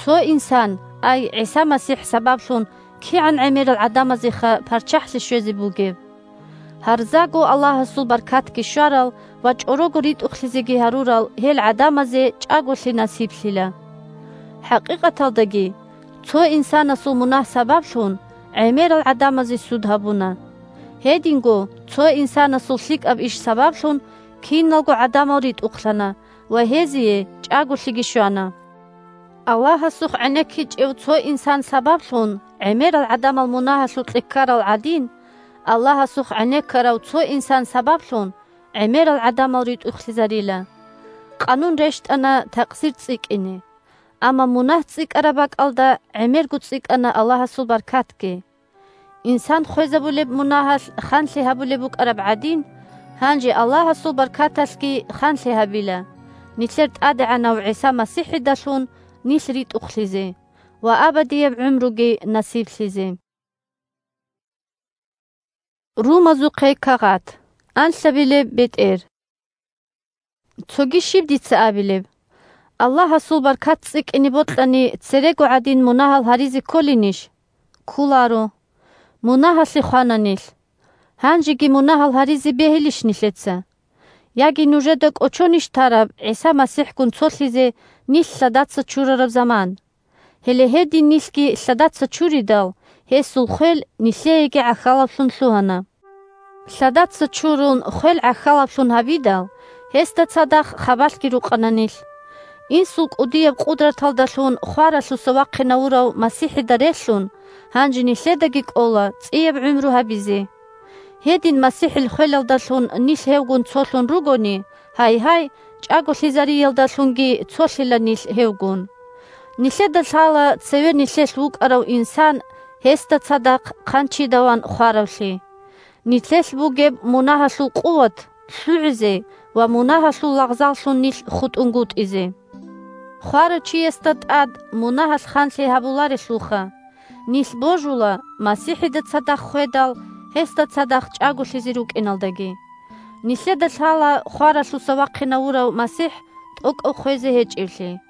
цо инсан, ай, ГӀиса МасихӀ сабаблъун кигӀан гӀемерал гӀадамазеха парччахӀлъи щвезе бугеб! Гьарзаго Аллагьасул баркатги щварал ва чӀорого ритӀухълъизеги гьарурал гьел гӀадамазе чӀаголъи насиблъила. ХӀакъикъаталдаги, цо инсанасул мунагь сабаблъун гӀемерал гӀадамазе суд гьабуна. Гьединго цо инсанасул лъикӀаб иш сабаблъун киналго гӀадамал ритӀухълъана ва гьезие чӀаголъиги щвана. Аллагьасухъ гӀенеккичӀев цо инсан сабаблъун гӀемерал гӀадамал мунагьалъукье ккарал гӀадин, Аллагьасухъ гӀенеккарав цо инсан сабаблъун гӀемерал гӀадамал ритӀухълъизарила. Къанун рещтӀана такъсир цӀикӀкӀине. Амма мунагь цӀикӀкӀараб бакӀалда гӀемерго цӀикӀкӀана Аллагьасул баркатги. Инсан хвезабулеб мунагьалъ ханлъи гьабулеб букӀараб гӀадин, гьанже Аллагьасул баркаталъги ханлъи гьабила, нилъер ТӀадегӀанав ГӀиса МасихӀидалъун нилъ ритӀухълъизе ва абадияб гӀумруги насиблъизе. Румазухъе кагъат. Анлъабилеб бетӀер. Цоги щиб дица абилеб? Аллагьасул баркат цӀикӀкӀине бокьани, церего гӀадин мунагьал гьаризе кколинищ? Кколаро. Мунагьалъе хвана нилъ. Гьанжеги мунагьал гьаризе бегьилищ нилъеца? Яги нужеда кӀочонищ тараб ГӀиса МасихӀгун цолъизе нилъ лъадаца чурараб заман? Гьеле гьедин нилъги лъадаца чуридал, гьесул хвел нилъееги гӀахьалаблъун лъугьана. Лъадаца чурун хвел гӀахьалаблъун гьабидал, гьесда цадахъ хабалъги рукъана нилъ. Инсул кӀудияб къудраталдалъун хваралъуса вахъинавурав МасихӀида релълъун, гьанже нилъедаги кӀола цӀияб гӀумру гьабизе. Гьедин МасихӀил хвелалдалъун нилъ гьевгун цолъун ругони, гьай-гьай, чӀаголъизариялдалъунги цолъила нилъ гьевгун. Нилъеда лъала цеве нилъелъ вукӀарав инсан гьесда цадахъ хъанчидаван хваравлъи. Нилъелъ бугеб мунагьалъул къуват лъугӀизе ва мунагьалъул лагъзаллъун нилъ хутӀунгутӀизе. Хварав чиясда тӀад мунагьалъ ханлъи гьабуларелъулха, нилъ божула МасихӀида цадахъ хведал, гьесда цадахъ чӀаголъизе рукӀиналдаги. Нилъеда лъала хваралъуса вахъинавурав МасихӀ тӀокӀав хвезе гьечӀевлъи.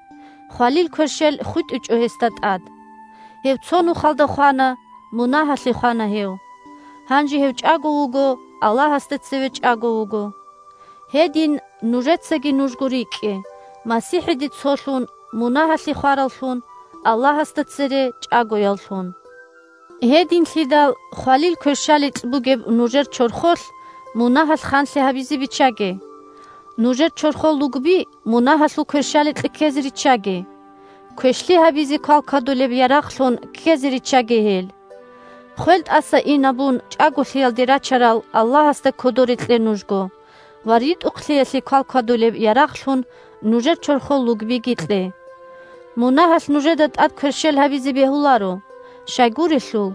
Хвалил кверщел хутӀичӀо гьесда тӀад. Гьев цо нухалда хвана, мунагьалъе хвана гьев. Гьанже гьев чӀаго вуго, Аллагьасда цеве чӀаго вуго. Гьедин нужецаги нужго рикӀкӀе, МасихӀиде цолъун, мунагьалъе хвараллъун, Аллагьасда цере чӀагояллъун. Гьединлъидал хвалил кверщаликь бугеб нужер чорхолъ мунагьалъ ханлъи гьабизе биччаге. Нужер чорхол лугби мунагьалъул кверщаликье ккезе риччаге. Квешлъи гьабизе квалквадулеб ярагълъун ккезе риччаге гьел. Хвел тӀаса инабун чӀаголъиялде рачарал Аллагьасда кодоре кье нужго ва ритӀухълъиялъе квалквадулеб ярагълъун нужер чорхол лугбиги кье. Мунагьалъ нужеда тӀад кверщел гьабизе бегьуларо, щайгурелъул,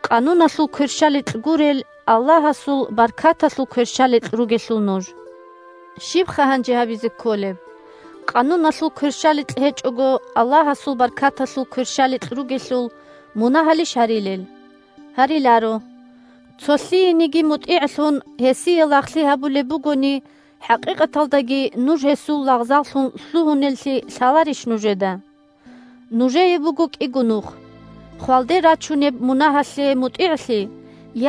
Къануналъул кверщаликь гурел Аллагьасул баркаталъул кверщаликь ругелъул нуж. Щибха гьанже гьабизе кколеб? Къануналъул кверщаликь гьечӀого Аллагьасул баркаталъул кверщаликь ругелъул мунагьалищ гьарилел? Гьариларо. Цолъиениги мутӀигӀлъун, гьесие лагълъи гьабулеб бугони, хӀакъикъаталдаги нуж гьесул лагъзаллъун лъугьунеллъи лъаларищ нужеда? Нужее буго кӀиго нух: хвалде рачунеб мунагьалъе мутӀигӀлъи,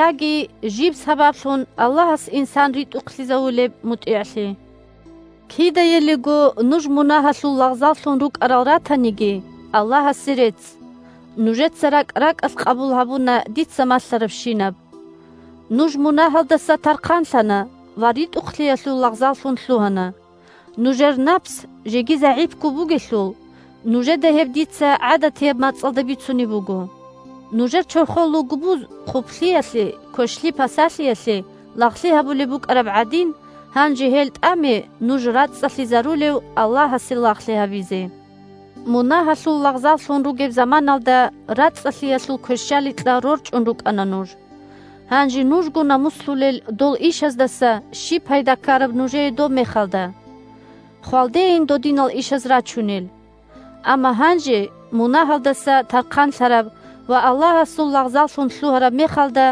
яги жиб сабаблъун Аллагьас инсан ритӀухълъизавулеб мутӀигӀлъи. Кидаялиго нуж мунагьалъул лагъзаллъун рукӀарал ратаниги, Аллагьасе рецц, нужеца ракӀ-ракӀалъ къабул гьабуна дица малъарабщинаб. Нуж мунагьалдаса тархъанлъана ва ритӀухълъиялъул лагъзаллъун лъугьана. Нужер напс жеги загӀипго бугелъул, нужеда гьеб дица гӀадатияб мацӀалда бицунеб буго. Нужер чорхол лугбуз хъублъиялъе, квешлъи-пасалъиялъе лагълъи гьабулеб букӀараб гӀадин, гьанже гьел тӀаме нуж рацӀцӀалъизарулев Аллагьасе лагълъи гьабизе. Мунагьалъул лагъзаллъун ругеб заманалда рацӀцӀалъиялъул кверщаликьа рорчӀун рукӀана нуж. Гьанже нужго намуслъулел дол ишаздаса щиб пайда ккараб нужее доб мехалда? Хвалдейин додинал ишаз рачунел. Амма гьанже мунагьалдаса тархъанлъараб ва Аллагьасул лагъзаллъун лъугьараб мехалда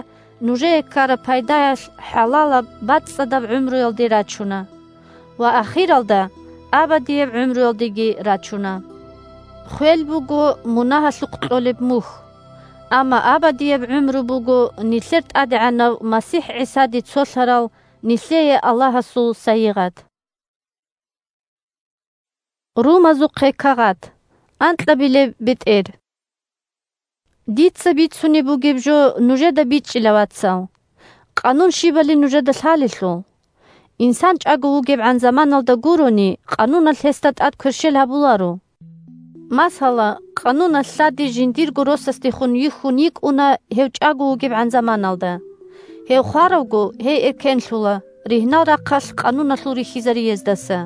нужее ккараб пайдаялъ хӀалалаб бацӀцӀадаб гӀумруялде рачуна ва ахиралда абадияб гӀумруялдеги рачуна. Хвел буго мунагьалъухъ кьолеб мухь, амма абадияб гӀумру буго нилъер ТӀадегӀанав МасихӀ ГӀисаде цолъарал нилъее Аллагьасул сайигъат. Румазухъе кагъат. Анкьабилеб бетӀер. Дица бицунеб бугеб жо нужеда бичӀчӀила, вацал. Къанун щибали нужеда лъалелъул. Инсан чӀаго вугебгӀан заманалда гурони, къануналъ гьесда тӀад кверщел гьабуларо. Масала, къануналъ лъади жиндирго росасдехун йихьун йикӀуна гьев чӀаго вугебгӀан заманалда. Гьев хваравго, гьей эркенлъула, ригьнал рахъалъ къануналъул рихьизариездаса.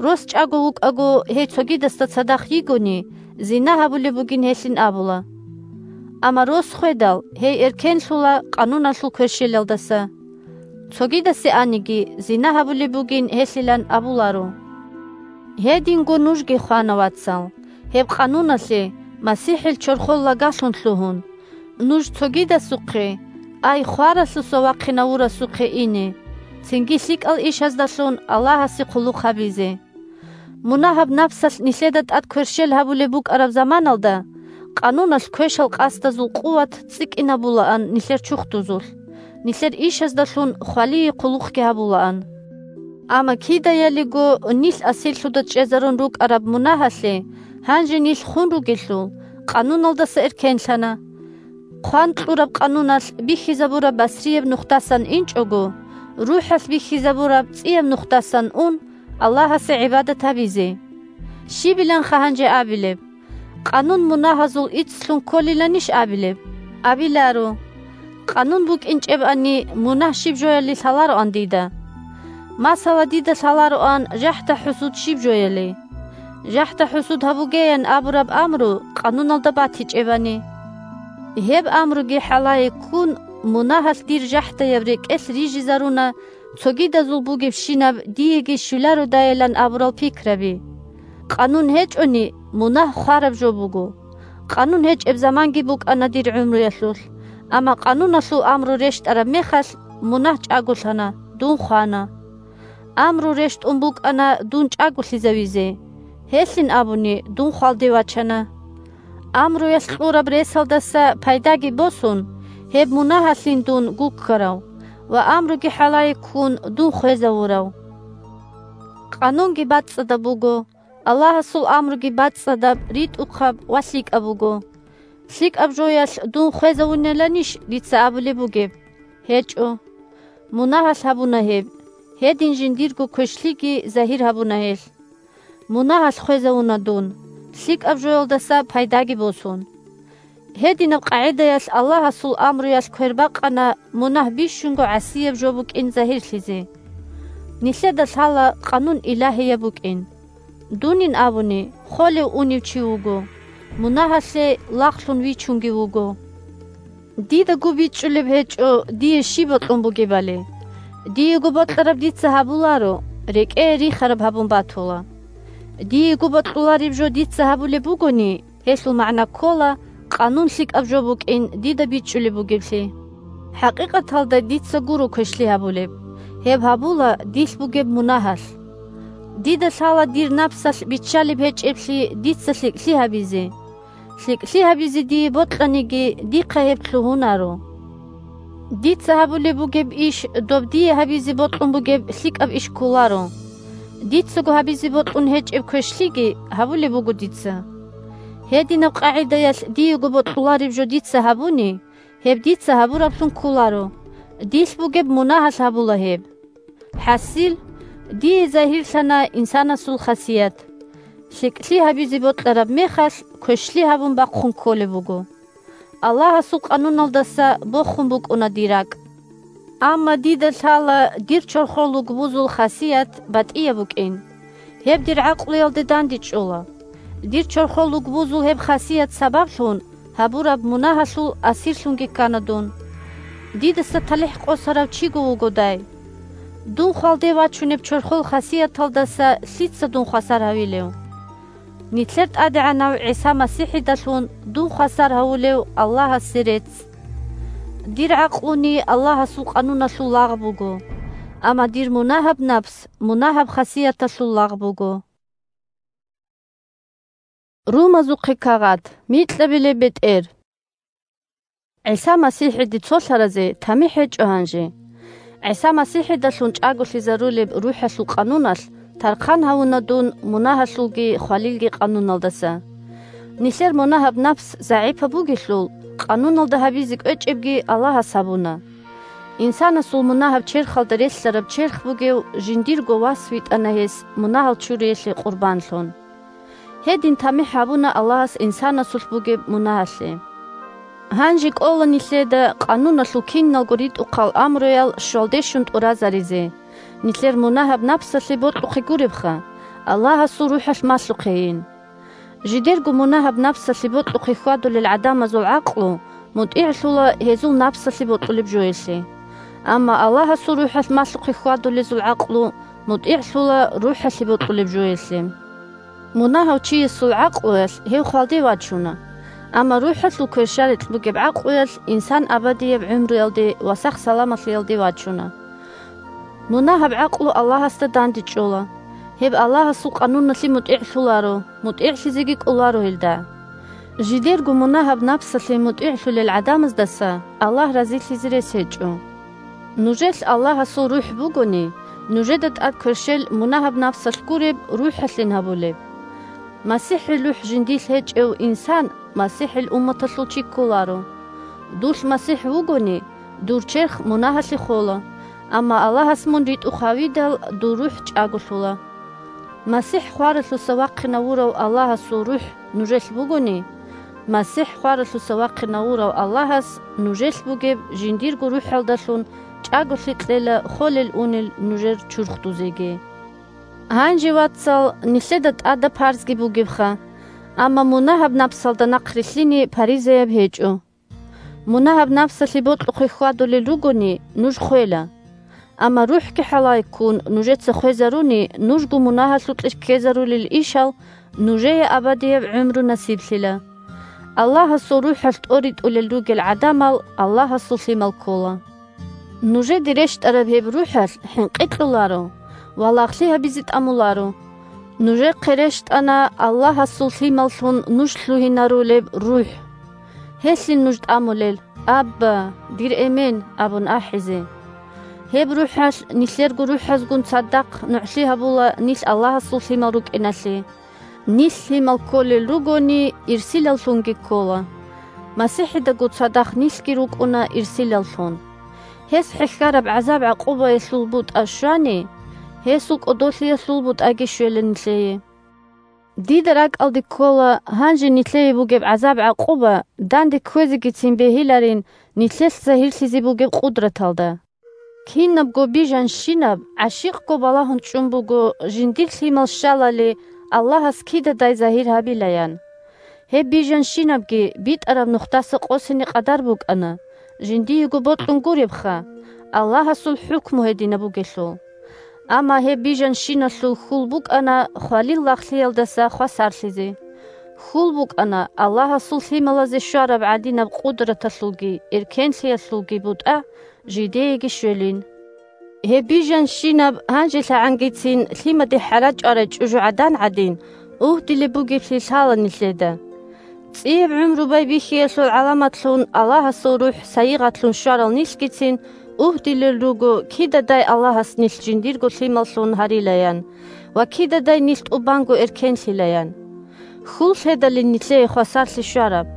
Рос чӀаго вукӀаго, гьей цогидасда цадахъ йигони, зина гьабулеб бугин гьелъин абула. Амма рос хведал, гьей эркенлъула къануналъул кверщелалдаса. Цогидасе аниги, зина гьабулеб бугин гьелъилан абуларо. Гьединго нужги хвана, вацал, гьеб къануналъе, МасихӀил чорхол лагалъун лъугьун. Нуж цогидасухъе, ай хваралъуса вахъинавурасухъе ине, цинги лъикӀал ишаздалъун Аллагьасе хъулухъ гьабизе. Мунагьаб напсалъ нилъеда тӀад кверщел гьабулеб букӀараб заманалда, къануналъ квешал къасдазул къуват цӀикӀкӀинабулаан нилъер чурхдузулъ, нилъер ишаздалъун хвалие хъулухъги гьабулаан. Амма кидаялиго нилъ асирлъуда чӀезарун рукӀараб мунагьалъе гьанже нилъ хун ругелъул, къануналдаса эркенлъана. Хъван кьураб къануналъ бихьизабураб басрияб нухдасан инчӀого, рухӀалъ бихьизабураб цӀияб нухдасан ун, Аллагьасе гӀибадат гьабизе. Щибиланха гьанже абилеб? Къанун мунагьазул иццлъун кколиланищ абилеб? Абиларо: «Къанун букӀинчӀебани, мунагь щиб жояли лъалароан дида. Масала, дида лъалароан жахӀда-хӀусуд щиб жояли. ЖахӀда-хӀусуд гьабугеян абураб амру къануналда батичӀебани». Гьеб амруги хӀалае ккун, мунагьалъ дир жахӀдаяб рекӀелъ рижизаруна цогидазул бугебщинаб диеги щвелародайилан абурал пикраби. Къанун гьечӀони, мунагь хвараб жо буго. Къанун гьечӀеб заманги букӀана дир гӀумруялъулъ, амма къануналъул амру рещтӀараб мехалъ, мунагь чӀаголъана, дун хвана. Амру рещтӀун букӀана дун чӀаголъизавизе, гьелъин абуни, дун хвалде вачана. Амруялъ кьураб ресалдаса пайдаги босун, гьеб мунагьалъин дун гуккарав ва амруги хӀалае ккун дун хвезавурав. Къанунги бацӀцӀадаб буго, Аллагьасул амруги бацӀцӀадаб, ритӀухъаб ва лъикӀаб буго. ЛъикӀаб жоялъ дун хвезавуниланищ дица абулеб бугеб? ГьечӀо. Мунагьалъ гьабуна гьеб, гьедин жиндирго квешлъиги загьир гьабуна гьелъ. Мунагьалъ хвезавуна дун, лъикӀаб жоялдаса пайдаги босун. Гьединаб къагӀидаялъ Аллагьасул амруялъ квербакъана мунагь бищунго гӀасияб жо букӀин загьирлъизе. Нилъеда лъала къанун илагьияб букӀин. Дунин абуни, холев-унев чи вуго, мунагьалъе лагълъун вичунги вуго. Дидаго бичӀчӀулеб гьечӀо дие щиб бокьун бугебали. Диего бокьараб дица гьабуларо, рекӀее рихараб гьабун батула. Диего бокьулареб жо дица гьабулеб бугони, гьелъул магӀна ккола, къанун лъикӀаб жо букӀин дида бичӀчӀулеб бугеблъи. ХӀакъикъаталда дица гуро квешлъи гьабулеб, гьеб гьабула дилъ бугеб мунагьалъ. Дида лъала дир напсалъ биччалеб гьечӀеблъи дица лъикӀлъи гьабизе. ЛъикӀлъи гьабизе дие бокьаниги, дихъа гьеб лъугьунаро. Дица гьабулеб бугеб иш доб дие гьабизе бокьун бугеб лъикӀаб иш кколаро. Дицаго гьабизе бокьун гьечӀеб квешлъиги гьабулеб буго дица. Гьединаб къагӀидаялъ диего бокьулареб жо дица гьабуни, гьеб дица гьабураблъун кколаро, дилъ бугеб мунагьалъ гьабула гьеб. ХӀасил, дие загьирлъана инсанасул хасият. ЛъикӀлъи гьабизе бокьараб мехалъ, квешлъи гьабун бахъун кколеб буго. Аллагьасул къануналдаса бохун букӀуна дир ракӀ. Амма дида лъала дир чорхол лугбузул хасият батӀияб букӀин. Гьеб дир гӀакълуялде дандечӀола. Дир чорхол лугбузул гьеб хасият сабаблъун гьабураб мунагьалъул асирлъунги ккана дун. Дидаса талихӀ къосарав чиго вугодай. Дун хвалде вачунеб чорхол хасияталдаса лъица дун хвасар гьавилев? Нилъер ТӀадегӀанав ГӀиса МасихӀидалъун дун хвасар гьавулев Аллагьасе рецц. Дир гӀакълуни Аллагьасул къануналъул лагъ буго, амма дир мунагьаб напс мунагьаб хасияталъул лагъ буго. Румазухъе кагъат, микьабилеб бетӀер. ГӀиса МасихӀиде цолъаразе тамихӀ гьечӀо гьанже. ГӀиса МасихӀидалъун чӀаголъизарулеб РухӀалъул къануналъ тархъан гьавуна дун мунагьалъулги хвалилги къануналдаса. Нилъер мунагьаб напс загӀипаб бугелъул, къануналда гьабизе кӀвечӀебги Аллагьас гьабуна. Инсанасул мунагьаб черхалда релълъараб черх бугев жиндирго вас витӀана гьес мунагьал чуриялъе къурбанлъун. Гьедин тамихӀ гьабуна Аллагьас инсанасулъ бугеб мунагьалъе. Гьанже кӀола нилъеда къануналъул киналго ритӀухъал амруял щвалдещун тӀуразаризе, нилъер мунагьаб напсалъе бокьухъе гуребха, Аллагьасул РухӀалъ малъухъейин. Жидерго мунагьаб напсалъе бокьухъе хьвадулел гӀадамазул гӀакълу мутӀигӀлъула гьезул напсалъе бокьулеб жоялъе. Амма Аллагьасул РухӀалъ малъухъе хьвадулезул гӀакълу мутӀигӀлъула РухӀалъе бокьулеб жоялъе. Мунагьав чиясул гӀакълуялъ гьев хвалде вачуна, амма РухӀалъул кверщаликь бугеб гӀакълуялъ инсан абадияб гӀумруялде ва сах-саламалъиялде вачуна. Мунагьаб гӀакълу Аллагьасда дандечӀола. Гьеб Аллагьасул къануналъе мутӀигӀлъуларо, мутӀигӀлъизеги кӀоларо гьелда. Жидерго мунагьаб напсалъе мутӀигӀлъулел гӀадамаздаса Аллагь разилъизе рес гьечӀо. Нужелъ Аллагьасул РухӀ бугони, нужеда тӀад кверщел мунагьаб напсалъ гуреб РухӀалъин гьабулеб. МасихӀил РухӀ жиндилъ гьечӀев инсан МасихӀил умматалъул чи кколаро. Дулъ МасихӀ вугони, дур черх мунагьалъе хола, амма Аллагьас мун ритӀухъ гьавидал дур рухӀ чӀаголъула. МасихӀ хваралъуса вахъинавурав Аллагьасул РухӀ нужелъ бугони, МасихӀ хваралъуса вахъинавурав Аллагьас нужелъ бугеб жиндирго рухӀалдалъун чӀаголъи кьела холел-унел нужер чурхдузеги. Гьанже, вацал, нилъеда тӀада парзги бугебха, амма мунагьаб напсалда нахърилълъине паризаяб гьечӀо. Мунагьаб напсалъе бокьухъе хьвадулел ругони, нуж хвела. Амма РухӀги хӀалай ккун нужеца хвезаруни, нужго мунагьалъукье ккезарулел ишал нужее абадияб гӀумру насиблъила. Аллагьасул РухӀалъ тӀоритӀулел ругел гӀадамал Аллагьасул лъимал ккола. Нужеде рещтӀараб гьеб РухӀалъ хӀинкъи кьоларо ва лагълъи гьабизе тӀамуларо. Нужехъе рещтӀана Аллагьасул лъималлъун нуж лъугьинарулеб РухӀ. Гьелъин нуж тӀамулел: «Абба, дир Эмен!» абун ахӀизе. Гьеб РухӀалъ нилъерго рухӀазгун цадахъ нугӀлъи гьабула нилъ Аллагьасул лъимал рукӀиналъе. Нилъ лъимал кколел ругони, ирсилаллъунги ккола. МасихӀидаго цадахъ нилъги рукӀуна ирсилаллъун. Гьес хӀехьараб гӀазаб-гӀакъубаялъул бутӀа щвани, гьесул кӀодолъиялъул бутӀаги щвела нилъее. Дида ракӀалде ккола гьанже нилъее бугеб гӀазаб-гӀакъуба данде кквезегицин бегьиларин нилъелъ загьирлъизе бугеб къудраталда. Кинабго бижанщинаб гӀащикъго балагьун чӀун буго жиндир лъимал щалали Аллагьас кидадай загьир гьабилаян. Гьеб бижанщинабги битӀараб нухдаса къосине къадар букӀана, жиндиего бокьун гуребха, Аллагьасул хӀукму гьединаб бугелъул. Амма гьеб бижанщиналъул хьул букӀана хвалил лагълъиялдаса хвасарлъизе. Хьул букӀана Аллагьасул лъималазе щвараб гӀадинаб къудраталъулги эркенлъиялъулги бутӀа жидееги щвелин. Гьеб бижанщинаб гьанжелъагӀангицин лъимаде хӀарачӀварай чӀужугӀадан гӀадин, угьдилеб бугеблъи лъала нилъеда. ЦӀияб гӀумру байбихьиялъул гӀаламатлъун Аллагьасул РухӀ сайигъатлъун щварал нилъгицин угьдилел руго кидадай Аллагьас нилъ жиндирго лъималлъун гьарилаян ва кидадай нилъ тӀубанго эркенлъилаян. Хьул лъедалин нилъее хвасарлъи щвараб,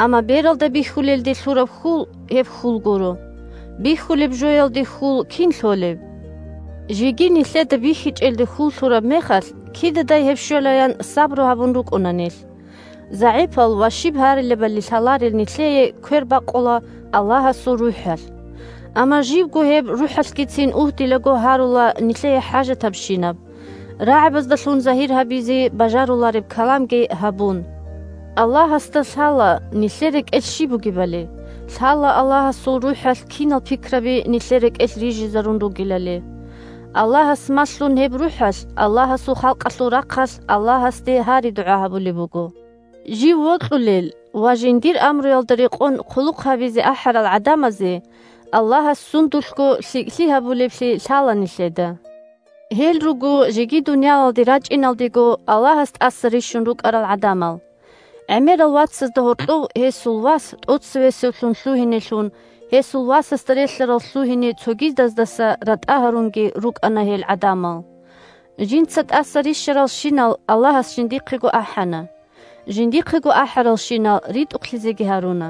амма бералда бихьулелде лъураб хьул гьеб хьул гуро. Бихьулеб жоялде хьул кин лъолеб? Жеги нилъеда бихьичӀелде хьул лъураб мехалъ, кидадай гьеб щвелаян сабру гьабун рукӀуна нилъ. ЗагӀипал ва щиб гьарилебали лъаларел нилъее квер бакъула Аллагьасул РухӀалъ. Амма живго гьеб РухӀалъгицин угьдилаго гьарула нилъее хӀажатабщинаб, рагӀабаздалъун загьир гьабизе бажарулареб каламги гьабун. Аллагьасда лъала нилъер рекӀелъ щиб бугебали, лъала Аллагьасул РухӀалъ кинал пикраби нилъер рекӀелъ рижизарун ругелали. Аллагьас малъун гьеб РухӀалъ Аллагьасул халкъалъул рахъалъ Аллагьасде гьари-дугӀа гьабулеб буго. Жив вокьулел ва жиндир амруялда рекъон хъулухъ гьабизе ахӀарал гӀадамазе Аллагьас сундулъго лъикӀлъи гьабулеблъи лъала нилъеда. Гьел руго жеги дуниялалде рачӀиналдего Аллагьас тӀаса рищун рукӀарал гӀадамал. ГӀемерал вацазда гьоркьов гьесул вас тӀоцевесевлъун лъугьинелъун, гьесул васасда релълъарал лъугьине цогидаздаса ратӀа гьарунги рукӀана гьел гӀадамал. Жинца тӀаса рищаралщинал Аллагьас жиндихъего ахӀана. Жиндихъего ахӀаралщинал ритӀухълъизеги гьаруна.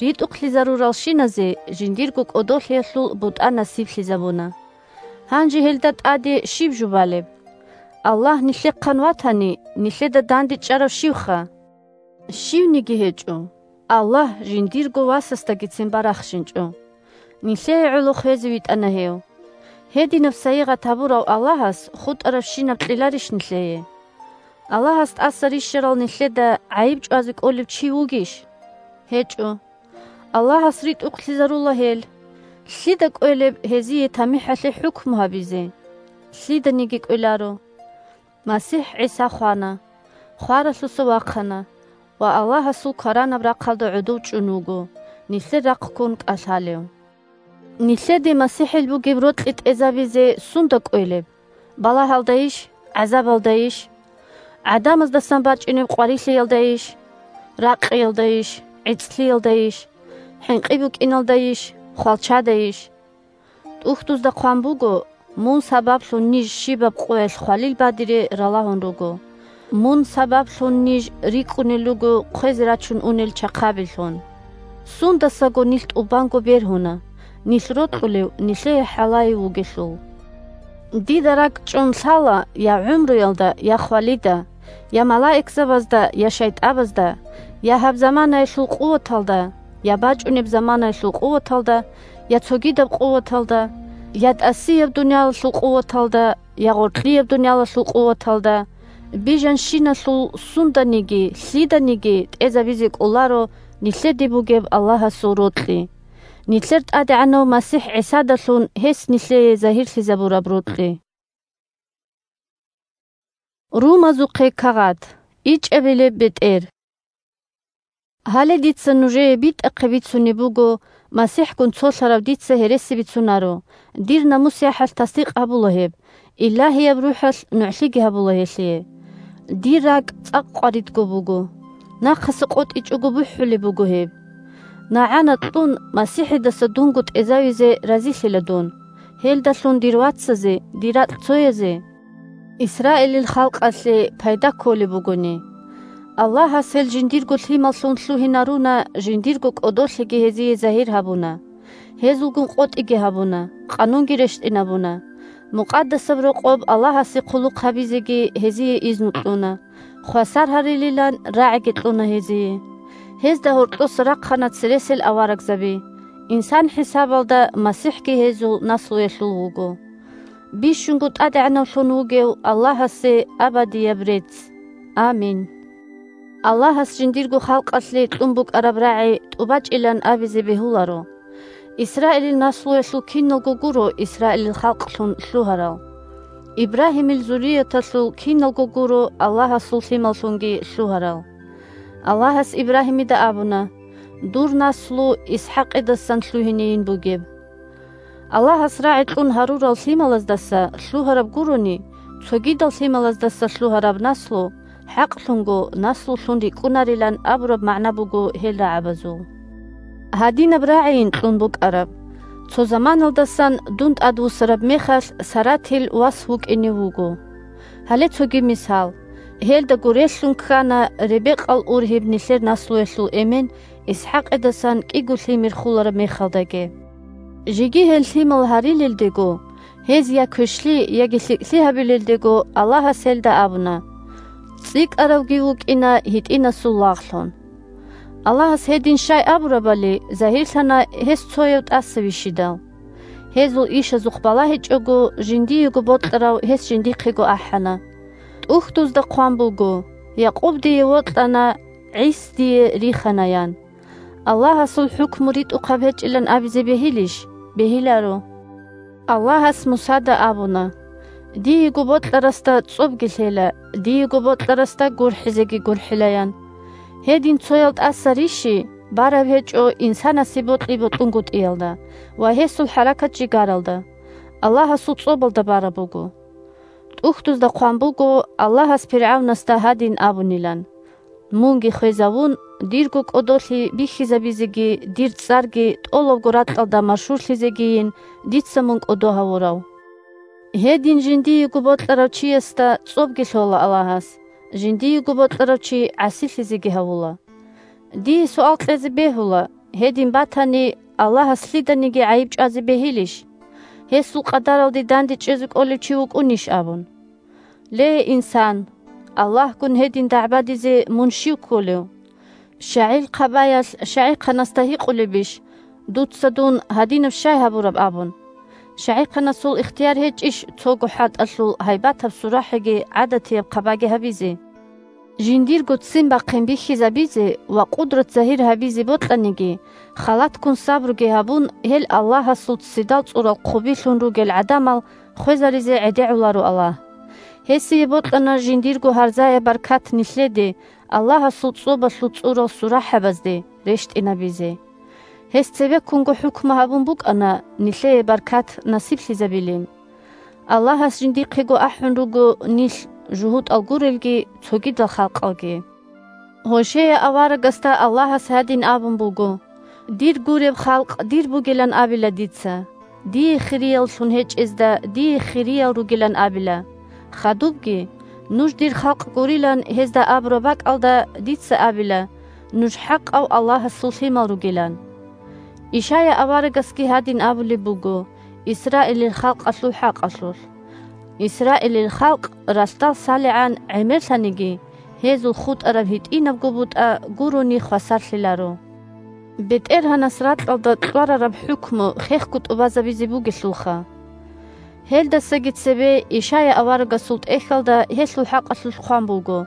РитӀухълъизаруралщиназе жиндирго кӀодолъиялъул бутӀа насиблъизабуна. Гьанже гьелда тӀаде щиб жубалеб? Аллагь нилъехъан ватани, нилъеда дандечӀарав щивха? Щивниги гьечӀо. Аллагь жиндирго Васасдагицин барахщинчӀо. Нилъее гӀоло хвезе витӀана гьев. Гьединаб сайигъат гьабурав Аллагьас хутӀарабщинаб кьеларищ нилъее? Аллагьас тӀаса рищарал нилъеда гӀайиб чӀвазе кӀолев чи вугищ? ГьечӀо. Аллагьас ритӀухълъизарула гьел. Лъида кӀвелеб гьезие тамихӀалъе хӀукму гьабизе? Лъиданиги кӀвеларо. МасихӀ ГӀиса хвана, хваралъуса вахъана ва Аллагьасул кваранаб рахъалда гӀодов чӀун вуго, нилъер рахъ ккун кӀалъалев. Нилъеде МасихӀил бугеб рокьи тӀезабизе сунда кӀвелеб? Балагьалдайищ? ГӀазабалдайищ? ГӀадамаздасан бачӀунеб къварилъиялдайищ? Ракъиялдайищ? ГӀицӀлъиялдайищ? ХӀинкъи букӀиналдайищ? Хвалчадайищ? ТӀухьдузда хъван буго: «Мун сабаблъун ниж щибаб къоялъ хвалил бадире ралагьун руго. Мун сабаблъун ниж рикӀкӀунел руго хъвезе рачун унел чахъабилъун». Сундасаго нилъ тӀубанго бергьуна, нилъ рокьулев нилъее хӀалаев вугелъул. Дида ракӀчӀун лъала я гӀумруялда, я хвалида, я малаикзабазда, я шайтӀабазда, я гьаб заманаялъул къуваталда, я бачӀунеб заманаялъул къуваталда, я цогидаб къуваталда, я тӀасияб дуниялалъул къуваталда, я гъоркьияб дуниялалъул къуваталда, бижанщиналъул сунданиги, лъиданиги тӀезабизе кӀоларо нилъеде бугеб Аллагьасул рокьи, нилъер ТӀадегӀанав МасихӀ ГӀисадалъун гьес нилъее загьирлъизабураб рокьи. Румазухъе кагъат. ИчӀабилеб бетӀер. Гьале дица нужее битӀахъе бицунеб буго, МасихӀгун цолъарав дица гьереси бицунаро, дир намус-яхӀалъ тасдикъ гьабула гьеб, Илагьияб РухӀалъ нугӀлъиги гьабула гьелъие. Дир ракӀ цӀакъ къваридго буго. Нахъаса къотӀичӀого бухӀулеб буго гьеб. НагӀана кьун, МасихӀидаса дунго тӀезавизе разилъила дун, гьелдалъун дир вацазе, дир ракь цоязе, Исраилил халкъалъе пайда кколеб бугони. Аллагьас гьел жиндирго лъималлъун лъугьинаруна, жиндирго кӀодолъиги гьезие загьир гьабуна. Гьезулгун къотӀиги гьабуна, къанунги рещтӀинабуна. Мукъадасаб Рокъоб Аллагьасе хъулухъ гьабизеги гьезие изну кьуна, хвасар гьарилилан рагӀиги кьуна гьезие. Гьезда гьоркьоса рахъана цересел аварагзаби. Инсан хӀисабалда МасихӀги гьезул наслуялъул вуго. Бищунго ТӀадегӀанавлъун вугев Аллагьасе абадияб рецц. Амин. Аллагьас жиндирго халкъалъе кьун букӀараб рагӀи тӀубачӀилан абизе бегьуларо. Исраилил наслуялъул киналго гуро Исраилил халкълъун лъугьарал. Ибрагьимил зуррияталъул киналго гуро Аллагьасул лъималлъунги лъугьарал. Аллагьас Ибрагьимида абуна: «Дур наслу ИсхӀакъидасан лъугьинейин бугеб». Аллагьас рагӀи кьун гьарурал лъималаздаса лъугьараб гурони, цогидал лъималаздаса лъугьараб наслу, хӀакълъунго наслулъун рикӀкӀунарилан абураб магӀна буго гьел рагӀабазул. Гьадинаб рагӀийин кьун букӀараб: «Цо заманалдасан дун тӀадвуссараб мехалъ Саратил вас вукӀине вуго». Гьале цоги мисал. Гьелда гурелъун ккана Ребекъал ургьиб нилъер наслуялъул эмен ИсхӀакъидасан кӀиго лъимер хулараб мехалдаги. Жеги гьел лъимал гьарилелдего, гьез я квешлъи, яги лъикӀлъи гьабилелдего, Аллагьас гьелда абуна: «ЦӀикӀкӀаравги вукӀина гьитӀинасул лагълъун». Аллагьас гьедин щай абурабали, загьирлъана гьес цояв тӀаса вищидал. Гьезул ишазухъ балагьичӀого, жиндиего бокьарав гьес жиндихъего ахӀана. ТӀухьдузда хъван буго: «Якъуб дие вокьана, ГӀис дие рихана», – ян. Аллагьасул хӀукму ритӀухъаб гьечӀилан абизе бегьилищ? Бегьиларо. Аллагьас Мусада абуна: «Диего бокьарасда цӀобги лъела, диего бокьарасда гурхӀизеги гурхӀила», – ян. Гьедин цоял тӀаса рищи бараб гьечӀо инсанасе бокьи-бокьунгутӀиялда ва гьесул хӀаракат-жигаралда, Аллагьасул цӀобалда бараб буго. ТӀухьдузда хъван буго Аллагьас ПиргӀавнасда гьадин абунилан: «Мунги хвезавун, дирго кӀодолъи бихьизабизеги дир цӀарги тӀолабго ракьалда машгьурлъизегийин дица мун кӀодо гьавурав». Гьедин жиндиего бокьарав чиясда цӀобги лъола Аллагьас, жиндиего бокьарав чи гӀасилъизеги гьавула. Дие суал кьезе бегьула, гьедин батани, Аллагьас лъиданиги гӀайиб чӀвазе бегьилищ? Гьесул къадаралде дандечӀезе кӀолев чи вукӀунищ абун? Ле, инсан, Аллагьгун гьедин дагӀбадизе мун щив кколев? ШагӀил хъабаялъ шагӀихъанасда гьикъулебищ: «Дуца дун гьадинаб щай гьабураб?» – абун. ШагӀихъанасул ихтияр гьечӀищ цого хӀатӀалъул гьайбатаб сурахӀиги гӀадатияб хъабаги гьабизе? Жиндирго ццин бахъин бихьизабизе ва къудрат загьир гьабизе бокьаниги, халатккун сабруги гьабун, гьел Аллагьасул ццидал цӀурал хъубилъун ругел гӀадамал хвезаризе гӀедегӀуларо Аллагь. Гьесие бокьана жиндирго гьарзаяб баркат нилъеде, Аллагьасул цӀобалъул цӀурал сурахӀабазде рещтӀинабизе. Гьес цебеккунго хӀукму гьабун букӀана нилъее баркат насиблъизабилин. Аллагьас жиндихъего ахӀун руго нилъ жугьутӀал гурелги цогидал халкъалги. Гьошея аварагасда Аллагьас гьадин абун буго: «Дир гуреб халкъ дир бугилан абила дица, дие хирияллъун гьечӀезда дие хириял ругилан абила. Хадубги, нуж дир халкъ гурилан гьезда абураб бакӀалда дица абила, нуж хӀакъав Аллагьасул лъимал ругилан». Ишая аварагасги гьадин абулеб буго Исраилил халкъалъул хӀакъалъулъ: Исраилил халкъ ралъдал салигӀан гӀемерлъаниги, гьезул хутӀараб гьитӀинабго бутӀа гурони хвасарлъиларо. БетӀергьанас ракьалда кьварараб хӀукму хехго тӀубазабизе бугелъулха. Гьелдасаги цебе Ишая аварагасул тӀехьалда гьелъул хӀакъалъулъ хъван буго: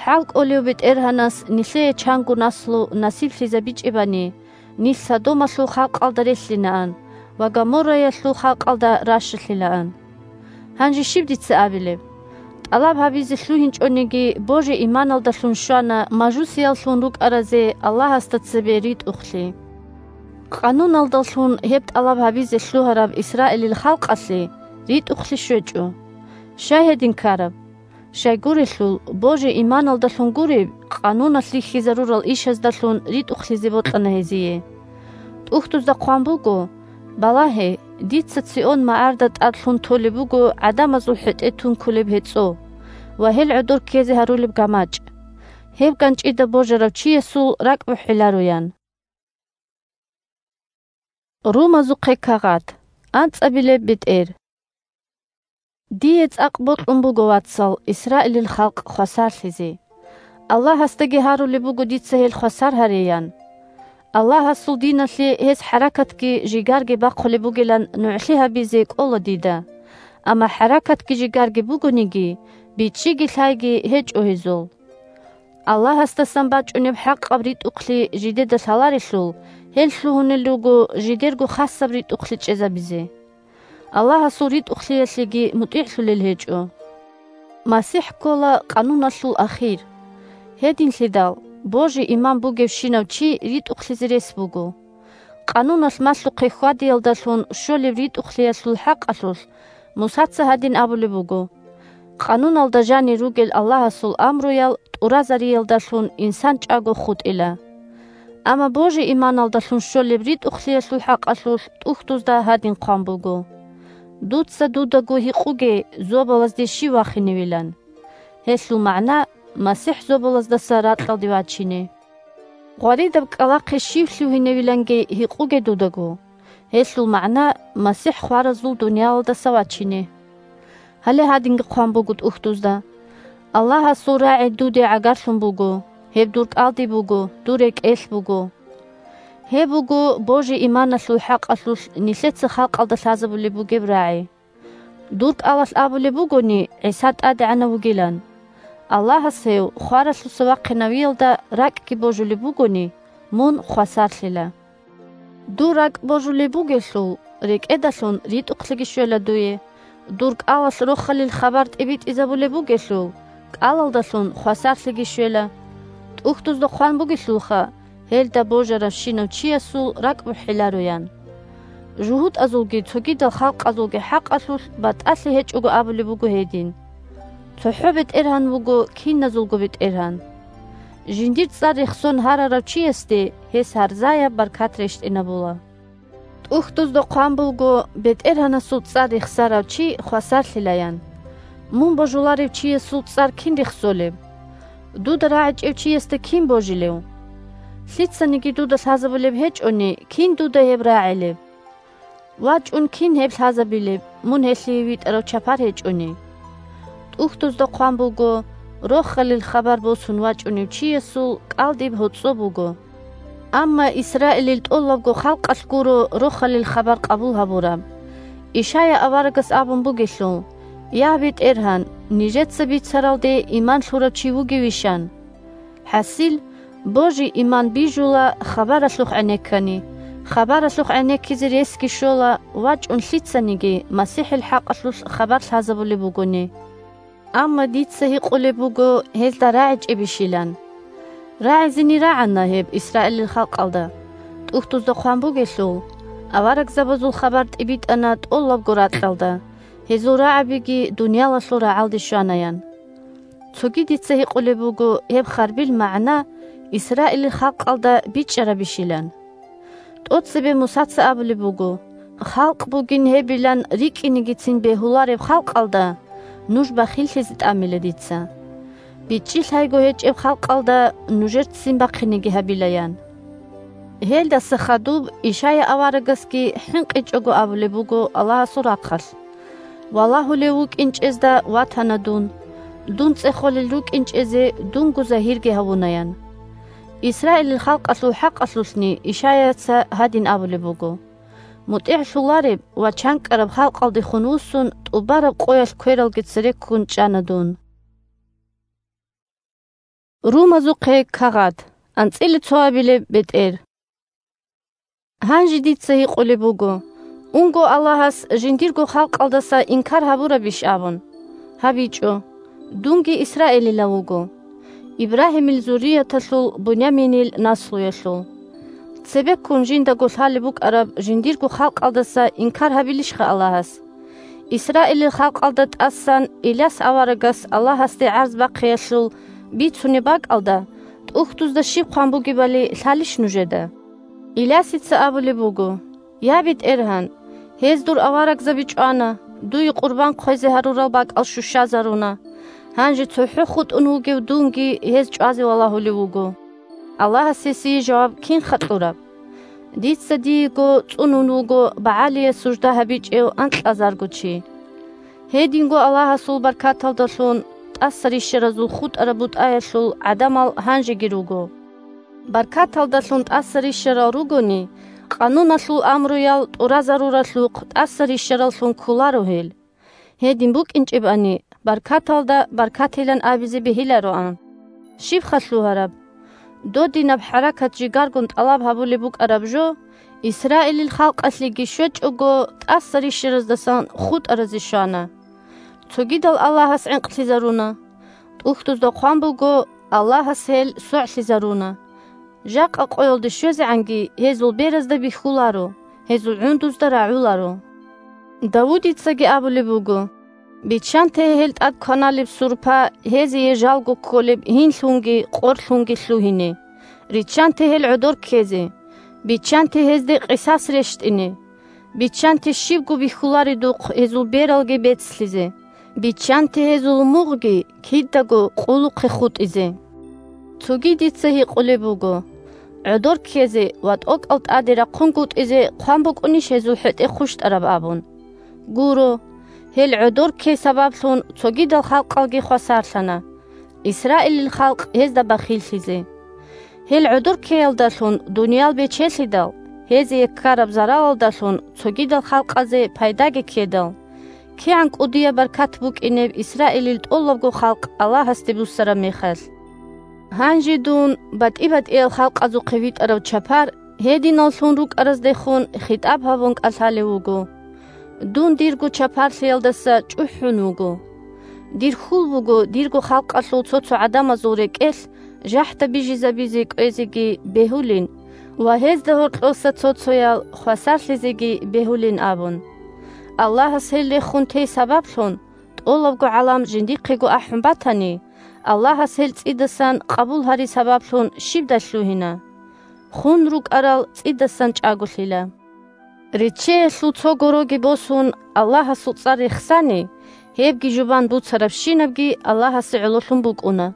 «ХӀалкӀолев БетӀергьанас нилъее чанго наслу насиблъизабичӀебани, нилъ Содомалъул халкъалда релълъинаан ва Гоморраялъул халкъалда ращалъилаан». Гьанже щиб дица абилеб? ТӀалаб гьабизе лъугьинчӀониги, божи-иманалдалъун щвана мажусияллъун рукӀаразе Аллагьасда цебе ритӀухълъи. Къануналдалъун гьеб тӀалаб гьабизе лъугьараб Исраилил халкъалъе ритӀухълъи щвечӀо. Щай гьедин ккараб? Щайгурелъул, божи-иманалдалъун гуреб, къануналъ рихьизарурал ишаздалъун ритӀухълъизе бокьана гьезие. ТӀухьдузда хъван буго: «Балагье, дица Цийон магӀарда тӀад лъун толеб буго гӀадамазул хӀетӀе тункулеб гьецӀо ва гьел гӀодор ккезе гьарулеб гамачӀ. Гьеб ганчӀида божарав чиясул ракӀ бухӀиларо», – ян. Румазухъе кагъат. АнцӀабилеб бетӀер. Дие цӀакъ бокьун буго, вацал, Исраилил халкъ хвасарлъизе. Аллагьасдаги гьарулеб буго дица гьел хвасар гьареян. Аллагьасул диналъе гьез хӀаракатги жигарги бахъулеб бугилан нугӀлъи гьабизе кӀола дида. Амма хӀаракатги жигарги бугониги, бичӀчӀиги лъайги гьечӀо гьезул. Аллагьасдасан бачӀунеб хӀакъаб ритӀухълъи жидеда лъаларелъул, гьел лъугьунел руго жидерго хасаб ритӀухълъи чӀезабизе. Аллагьасул ритӀухълъиялъеги мутӀигӀлъулел гьечӀо. МасихӀ ккола къануналъул ахир. Гьединлъидал, божи-иман бугевщинав чи ритӀухълъизе рес буго. Къануналъ малъухъе хьвадиялдалъун щолеб ритӀухълъиялъул хӀакъалъулъ Мусаца гьадин абулеб буго: «Къануналда жанир ругел Аллагьасул амруял тӀуразариялдалъун инсан чӀаго хутӀила». Амма божи-иманалдалъун щолеб ритӀухълъиялъул хӀакъалъулъ тӀухьдузда гьадин хъван буго: «Дуца дудаго гьикъуге, зобалазде щив вахиневилан». Гьелъул магӀна: «МасихӀ зобалаздаса ракьалде вачине». Гъваридаб кӀкӀалахъе щив лъугьиневиланги гьикъуге дудаго. Гьелъул магӀна: «МасихӀ хваразул дуниялалдаса вачине». Гьале гьадинги хъван буго тӀухьдузда: «Аллагьасул рагӀи дуде гӀагарлъун буго, гьеб дур кӀалдиб буго, дур рекӀелъ буго». Гьеб буго божи-иманалъул хӀакъалъулъ нилъеца халкъалда лъазабулеб бугеб рагӀи. Дур кӀалалъ абулеб бугони, ГӀиса ТӀадегӀанав вугилан. Аллагьас гьев хваралъуса вахъинавиялда ракӀги божулеб бугони, мун хвасарлъила. Дур ракӀ божулеб бугелъул, рекӀедалъун ритӀухълъиги щвела дуе, дур кӀалалъ рохалил хабар тӀибитӀизабулеб бугелъул, кӀалалдалъун хвасарлъиги щвела. ТӀухьдузда хъван бугелъулха: «Гьелда божаравщинав чиясул ракӀ бухӀиларо», – ян. ЖугьутӀазулги цогидал халкъазулги хӀакъалъулъ батӀалъи гьечӀого абулеб буго гьедин: «ЦохӀо БетӀергьан вуго киназулго БетӀергьан». Жиндир цӀар рехсон гьарарав чиясде гьес гьарзаяб баркат рещтӀинабула. ТӀухьдузда хъван буго: «БетӀергьанасул цӀар рехсарав чи хвасарлъилаян». Мун божуларев чиясул цӀар кин рехсолеб? Дуда рагӀичӀев чиясда кин божилев? Лъицаниги дуда лъазабулеб гьечӀони, кин дуда гьеб рагӀилеб? ВачӀун кин гьеб лъазабилеб, мун гьелъие витӀарав чапар гьечӀони? ТӀухьдузда хъван буго: «Рохалил хабар босун вачӀунев чиясул кӀалдиб гьоцӀо буго». Амма Исраилил тӀолабго халкъалъ гуро рохалил хабар къабул гьабураб. Ишая аварагас абун бугелъул: «Я, БетӀергьан, нижеца бицаралде иман лъурав чи вугевищан?» ХӀасил, божи-иман бижула хабаралъухъ гӀенеккани, хабаралъухъ гӀенеккизе ресги щола вачӀун лъицаниги МасихӀил хӀакъалъулъ хабар лъазабулеб бугони. Амма дица гьикъулеб буго гьезда рагӀичӀебищилан. РагӀизени рагӀана гьеб Исраилил халкъалда. ТӀухьдузда хъван бугелъул: «Аварагзабазул хабар тӀибитӀана тӀолабго ракьалда, гьезул рагӀабиги дуниялалъул рагӀалде щвана», – ян. Цоги дица гьикъулеб буго гьеб харбил магӀна Исраилил халкъалда бичӀчӀарабищилан. ТӀоцебе Мусаца абулеб буго: «Халкъ бугин гьебилан рикӀкӀинигицин бегьулареб халкъалда нуж бахиллъизе тӀамила дица. БичӀчӀи лъайго гьечӀеб халкъалда нужер ццин бахъинеги гьабила», – ян. Гьелдаса хадуб Ишая аварагасги хӀинкъичӀого абулеб буго Аллагьасул рахъалъ: «Валагьулев вукӀинчӀезда ватана дун, дун цӀехолел рукӀинчӀезе дунго загьирги гьавунаян». Исраилил халкъалъул хӀакъалъулъни Ишаяца гьадин абулеб буго: «МутӀигӀлъулареб ва чанкӀкӀараб халкъалдехун вуссун, тӀубараб къоялъ квералги цереккун чӀана дун». Румазухъе кагъат. АнцӀила цо абилеб бетӀер. Гьанже дица гьикъулеб буго: унго Аллагьас жиндирго халкъалдаса инкар гьабурабищ абун? ГьабичӀо. Дунги Исраилилав вуго, Ибрагьимил зуррияталъул, Буняминил наслуялъул. Цебеккун жиндаго лъалеб букӀараб жиндирго халкъалдаса инкар гьабилищха Аллагьас? Исраилил халкъалда тӀасан Иляс аварагас Аллагьасде гӀарз бахъиялъул бицунеб бакӀалда, тӀухьдузда щиб хъван бугебали лъалищ нужеда? Илясица абулеб буго: «Я, БетӀергьан, гьез дур аварагзаби чӀвана, дуе къурбан хъвезе гьарурал бакӀал щущазаруна. Гьанже цохӀо хутӀун вугев дунги гьез чӀвазе валагьулев вуго». Аллагьас гьесие жаваб кинха кьураб? Дица диего цӀунун вуго БагӀалие сужда гьабичӀев анкьазарго чи. Гьединго Аллагьасул баркаталдалъун, тӀаса рищаразул хутӀараб бутӀаялъул гӀадамал гьанжеги руго. Баркаталдалъун тӀаса рищарал ругони, къануналъул амруял тӀуразаруралъухъ тӀаса рищараллъун кколаро гьел. Гьедин букӀинчӀебани, баркаталда баркатилан абизе бегьилароан. Щибха лъугьараб? Додинаб хӀаракат жигаргун тӀалаб гьабулеб букӀараб жо, Исраилил халкъалъеги щвечӀого, тӀаса рищараздасан хутӀаразе щвана. Цогидал Аллагьас гӀенкълъизаруна. ТӀухьдузда хъван буго: «Аллагьас гьел согӀлъизаруна. Жакъа къоялде щвезегӀанги гьезул беразда бихьуларо, гьезул гӀундузда рагӀуларо». Давудицаги абулеб буго: «Биччанте гьел тӀад кваналеб сурпа гьезие жалго кколеб гьинлъунги къорлъунги лъугьине. Риччанте гьел гӀодор ккезе. Биччанте гьезде къисас рещтӀине. Биччанте щибго бихьуларедухъ гьезул бералги бецлъизе. Биччанте гьезул мугъги кидаго къулухъе хутӀизе». Цоги дица гьикъулеб буго: «ГӀодор ккезе ва тӀокӀал тӀаде рахъунгутӀизе хъван букӀунищ гьезул хӀетӀе хъущтӀараб?» абун. Гуро, гьел гӀодор ккей сабаблъун цогидал халкъалги хвасарлъана, Исраилил халкъ гьезда бахиллъизе. Гьел гӀодор ккеялдалъун дуниял бечелъидал, гьезие ккараб заралалдалъун цогидал халкъазе пайдаги ккедал, кигӀан кӀудияб баркат букӀинеб Исраилил тӀолабго халкъ Аллагьасде буссараб мехалъ. Гьанже дун батӀи-батӀиял халкъазухъе витӀарав чапар гьединаллъун рукӀараздехун хитӀаб гьабун кӀалъалев вуго. Дун дирго чапарлъиялдаса чӀухӀун вуго. Дир хьул буго дирго халкъалъул цо-цо гӀадамазул рекӀелъ жахӀда бижизабизе кӀвезеги бегьулин ва гьезда гьоркьоса цо-цоял хвасарлъизеги бегьулин абун. Аллагьас гьел рехун тей сабаблъун, тӀолабго гӀалам жиндихъего ахӀун батани, Аллагьас гьел цӀидасан къабул гьари сабаблъун щибдай лъугьина? Хун рукӀарал цӀидасан чӀаголъила. Риччеялъул цо гороги босун, Аллагьасул цӀар рехсани, гьебги жубан буцарабщинабги Аллагьасе гӀололъун букӀуна.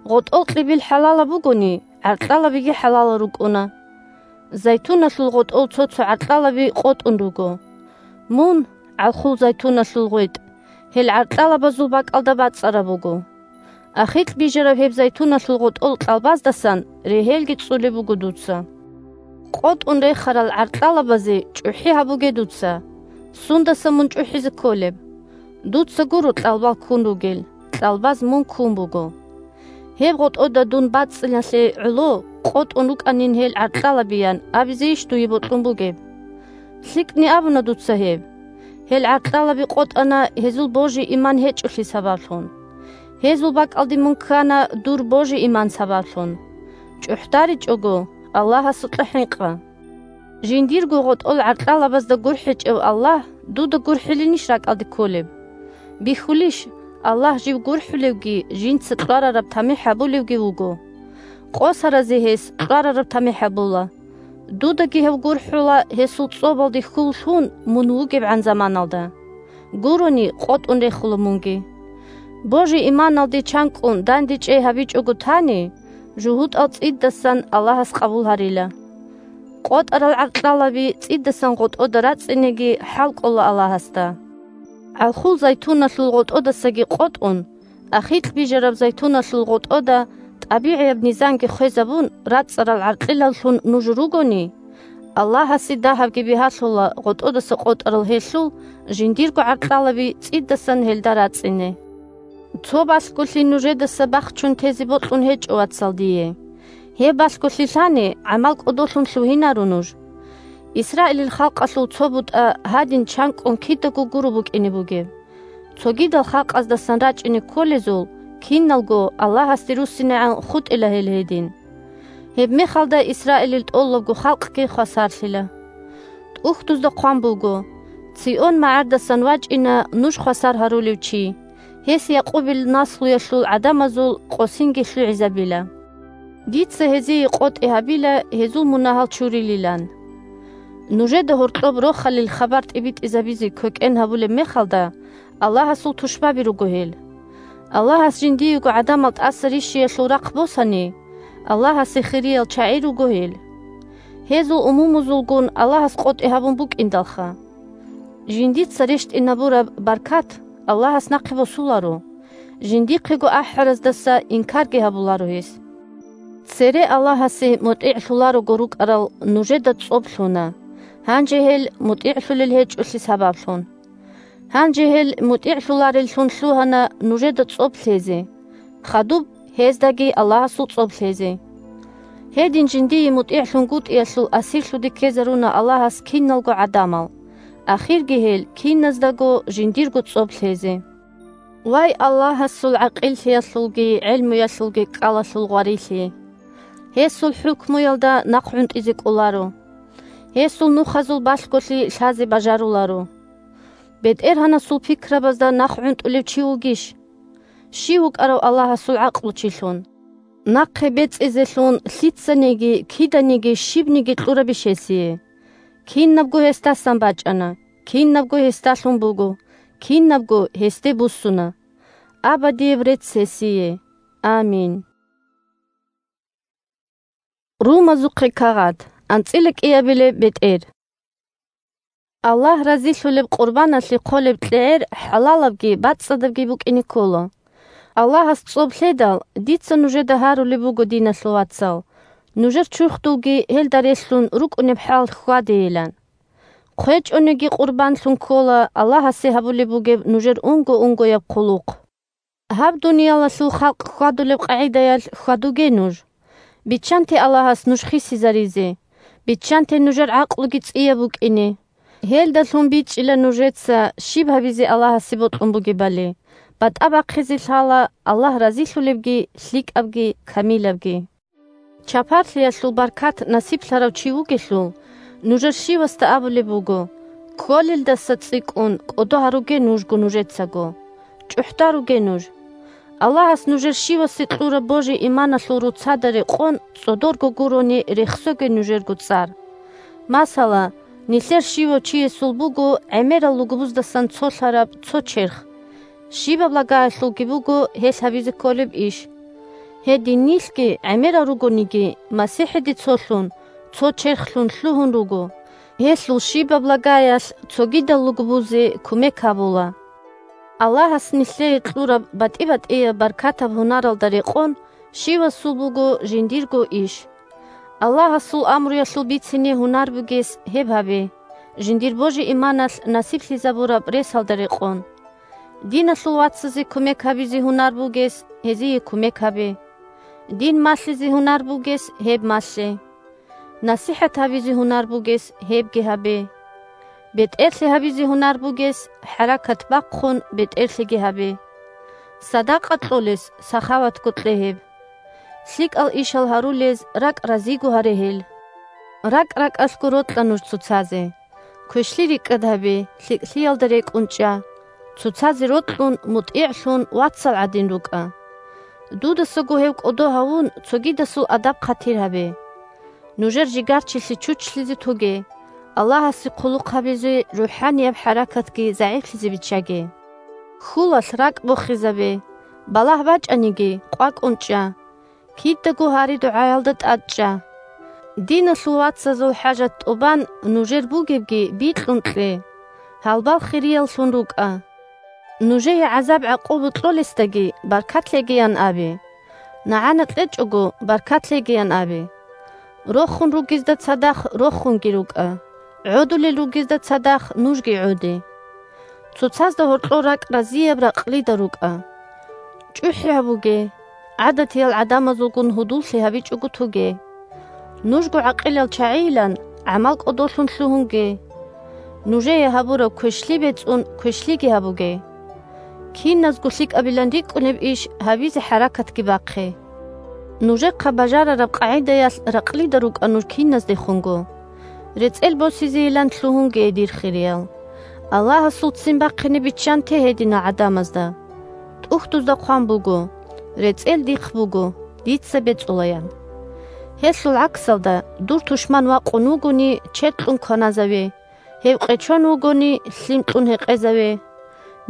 ГъотӀол кьибил хӀалалаб бугони, гӀаркьалабиги хӀалалал рукӀуна. Зайтуналъул гъотӀол цо-цо гӀаркьалаби къотӀун руго. Мун, гӀалхул зайтуналъул гъветӀ, гьел гӀаркьалабазул бакӀалда бацӀцӀараб буго. Ахикь бижараб гьеб зайтуналъул гъотӀол кьалбаздасан регьелги цӀцӀулеб буго дуца. КъотӀун рехарал гӀаркьалабазе чӀухӀи гьабуге дуца. Сундаса мун чӀухӀизе кколеб? Дуца гуро кьалбал ккун ругел, кьалбаз мун ккун буго. Гьеб гъотӀода дун бацӀцӀиналъе гӀоло къотӀун рукӀанин гьел гӀаркьалабиян абизейищ дуе бокьун бугеб? ЛъикӀни абуна дуца гьеб. Гьел гӀаркьалаби къотӀана гьезул божи-иман гьечӀолъи сабаблъун. Гьезул бакӀалде мун ккана дур божи-иман сабаблъун. ЧӀухӀдаричӀого, Аллагьасукьа хӀинкъа. Жиндирго гъотӀол гӀаркьалабазда гурхӀичӀев Аллагь дуда гурхӀилинищ ракӀалде кколеб? Бихьулищ, Аллагь жив гурхӀулевги, жинца кьварараб тамихӀ гьабулевги вуго. Къосаразе гьес кьварараб тамихӀ гьабула. Дудаги гьев гурхӀула гьесул цӀобалде хьул лъун мун вугебгӀан заманалда. Гурони, къотӀун рехула мунги. Божи-иманалде чанкӀкӀун дандечӀей гьабичӀого тани, жугьутӀал цӀидасан Аллагьас къабул гьарила. КъотӀарал гӀаркьалаби цӀидасан гъотӀода рацӀцӀинеги хӀал кӀола Аллагьасда. ГӀалхул зайтуналъул гъотӀодасаги къотӀун, ахикь бижараб зайтуналъул гъотӀода тӀабигӀияб низамги хвезабун, рацӀцӀарал гӀаркьилаллъун нуж ругони, Аллагьасе дагьабги бигьалъула гъотӀодаса къотӀарал гьелъул жиндирго гӀаркьалаби цӀидасан гьелда рацӀцӀине. Цо балъголъи нужедаса бахчун тезе бокьун гьечӀо, вацал, дие. Гьеб балъголъи лъани, гӀамал кӀодолъун лъугьинаро нуж. Исраилил халкъалъул цо бутӀа гьадин чанкӀкӀун кидаго гуро букӀине бугеб. Цогидал халкъаздасан рачӀине кколезул, киналго Аллагьасде руссинегӀан хутӀила гьел гьедин. Гьебмехалда Исраилил тӀолабго халкъги хвасарлъила. ТӀухьдузда хъван буго: «Цийон магӀардасан вачӀина нуж хвасар гьарулев чи, гьес Якъубил наслуялъул гӀадамазул къосинги лъугӀизабила. Дица гьезие къотӀи гьабила гьезул мунагьал чурилилан». Нужеда гьоркьоб рохалил хабар тӀибитӀизабизе квекӀен гьабулеб мехалда, Аллагьасул тушбаби руго гьел. Аллагьас жиндиего гӀадамал тӀаса рищиялъул рахъ босани, Аллагьасе хириял чагӀи руго гьел. Гьезул умумузулгун Аллагьас къотӀи гьабун букӀиндалха. Жиндица рещтӀинабураб баркат Аллагьас нахъе босуларо, жиндихъего ахӀараздаса инкарги гьабуларо гьес. Цере Аллагьасе мутӀигӀлъуларого рукӀарал нужеда цӀоб лъуна, гьанже гьел мутӀигӀлъулел гьечӀолъи сабаблъун. Гьанже гьел мутӀигӀлъулареллъун лъугьана нужеда цӀоб лъезе, хадуб гьездаги Аллагьасул цӀоб лъезе. Гьедин жиндие мутӀигӀлъунгутӀиялъул асирлъуде ккезаруна Аллагьас киналго гӀадамал, ахирги гьел киназдаго жиндирго цӀоб лъезе. Вай, Аллагьасул гӀакъиллъиялъулги гӀелмуялъулги кӀкӀалалъул гъварилъи! Гьесул хӀукмуялда нахъ гӀунтӀизе кӀоларо. Гьесул нухазул балъголъи лъазе бажаруларо. БетӀергьанасул пикрабазда нахъ гӀунтӀулев чи вугищ? Щив вукӀарав Аллагьасул гӀакълучилъун? Нахъе бецӀизелъун лъицаниги, киданиги, щибниги кьурабищ гьесие? Кинабго гьесдасан бачӀана, кинабго гьесдалъун буго, кинабго гьесде буссуна. Абадияб рецц гьесие! Амин. Румазухъе кагъат. АнцӀила кӀиабилеб бетӀер. Аллагь разилъулеб къурбаналъе хъолеб кьегӀер хӀалалабги бацӀцӀадабги букӀине ккола. Аллагьас цӀоб лъедал, дица нужеда гьарулеб буго, диналъул вацал, нужер чурхдулги гьелда релълъун рукӀунеб хӀал хьвадейилан. ХъвечӀониги къурбанлъун ккола Аллагьасе гьабулеб бугеб нужер унго-унгояб хъулухъ. Гьаб дуниялалъул халкъ хьвадулеб къагӀидаялъ хьвадуге нуж. Биччанте Аллагьас нуж хисизаризе, биччанте нужер гӀакълуги цӀияб букӀине. Гьелдалъун бичӀчӀила нужеца щиб гьабизе Аллагьасе бокьун бугебали, батӀа бахъизе лъала Аллагь разилъулебги, лъикӀабги, камилабги. Чапарлъиялъул баркат насиблъарав чи вугелъул, нужер щивасда абулеб буго: «Кколелдаса цӀикӀкӀун кӀодо гьаруге нужго нужецаго, чӀухӀда руге нуж». Аллагьас нужер щивасе кьураб божи-иманалъул руцада рекъон цӀодорго гурони рехсоге нужерго цӀар. Масала, нилъер щивав чиясул буго гӀемерал лугбуздасан цолъараб цо черх. Щибаб лагаялъулги буго гьелъ гьабизе кколеб иш. Гьедин нилъги гӀемерал ругониги, МасихӀиде цолъун, цо черхлъун лъугьун руго. Гьелъул щибаб лагаялъ цогидал лугбузе кумек гьабула. Аллагьас нилъее кьураб батӀи-батӀияб баркатаб гьунаралда рекъон щивасул буго жиндирго иш. Аллагьасул амруялъул бицине гьунар бугес гьеб гьабе, жиндир божи-иманалъ насиблъизабураб ресалда рекъон. Диналъул вацазе кумек гьабизе гьунар бугес гьезие кумек гьабе. Дин малъизе гьунар бугес гьеб малъе. НасихӀат гьабизе гьунар бугес гьебги гьабе. БетӀерлъи гьабизе гьунар бугес хӀаракат бахъун бетӀерлъиги гьабе. Садакъа кьолес сахаватго кье гьеб. ЛъикӀал ишал гьарулез ракӀ разиго гьаре гьел. РакӀ-ракӀалъго рокьа нуж цоцазе. Квешлъи рикӀкӀад гьабе, лъикӀлъиялда рекӀун чӀа. Цоцазе рокьун, мутӀигӀлъун, вацал гӀадин рукӀа. Дудасаго гьев кӀодо гьавун, цогидасул адаб-хъатир гьабе. Нужер жигарчилъи чучлъизе тоге, Аллагьасе хъулухъ гьабизе рухӀанияб хӀаракатги загӀиплъизе биччаге. Хьулалъ ракӀ бохизабе, балагь бачӀаниги, къвакӀун чӀа. Кидаго гьари-дугӀаялда тӀад чӀа. Диналъул вацазул хӀажат тӀубан нужер бугебги бикьун кье. Гьалбал хирияллъун рукӀа. Нужее гӀазаб-гӀакъуба кьолесдаги баркат лъегиян абе. НагӀана кьечӀого, баркат лъегиян абе. Рохун ругезда цадахъ рохунги рукӀа, гӀодулел ругезда цадахъ нужги гӀоде. Цоцазда гьоркьор ракӀ разияб ракълида рукӀа. ЧӀухӀи гьабуге, гӀадатиял гӀадамазулгун гьудуллъи гьабичӀого тоге. Нужго гӀакъилал чагӀийилан гӀамал кӀодолъун лъугьунге. Нужее гьабураб квешлъи бецӀун квешлъиги гьабуге. Киназго лъикӀабилан рикӀкӀунеб иш гьабизе хӀаракатги бахъе. Нужехъа бажарараб къагӀидаялъ ракълида рукӀа нуж киназдехунго. РецӀел босизейилан лъугьунге, дир хириял. Аллагьасул ццин бахъине биччанте гьединал гӀадамазда. ТӀухьдузда хъван буго: «РецӀел дихъ буго, дица бецӀула», – ян. Гьелъул гӀаксалда, дур тушман вакъун вугони, чед кьун кваназаве, гьев къечон вугони, лъим кьун гьекъезаве.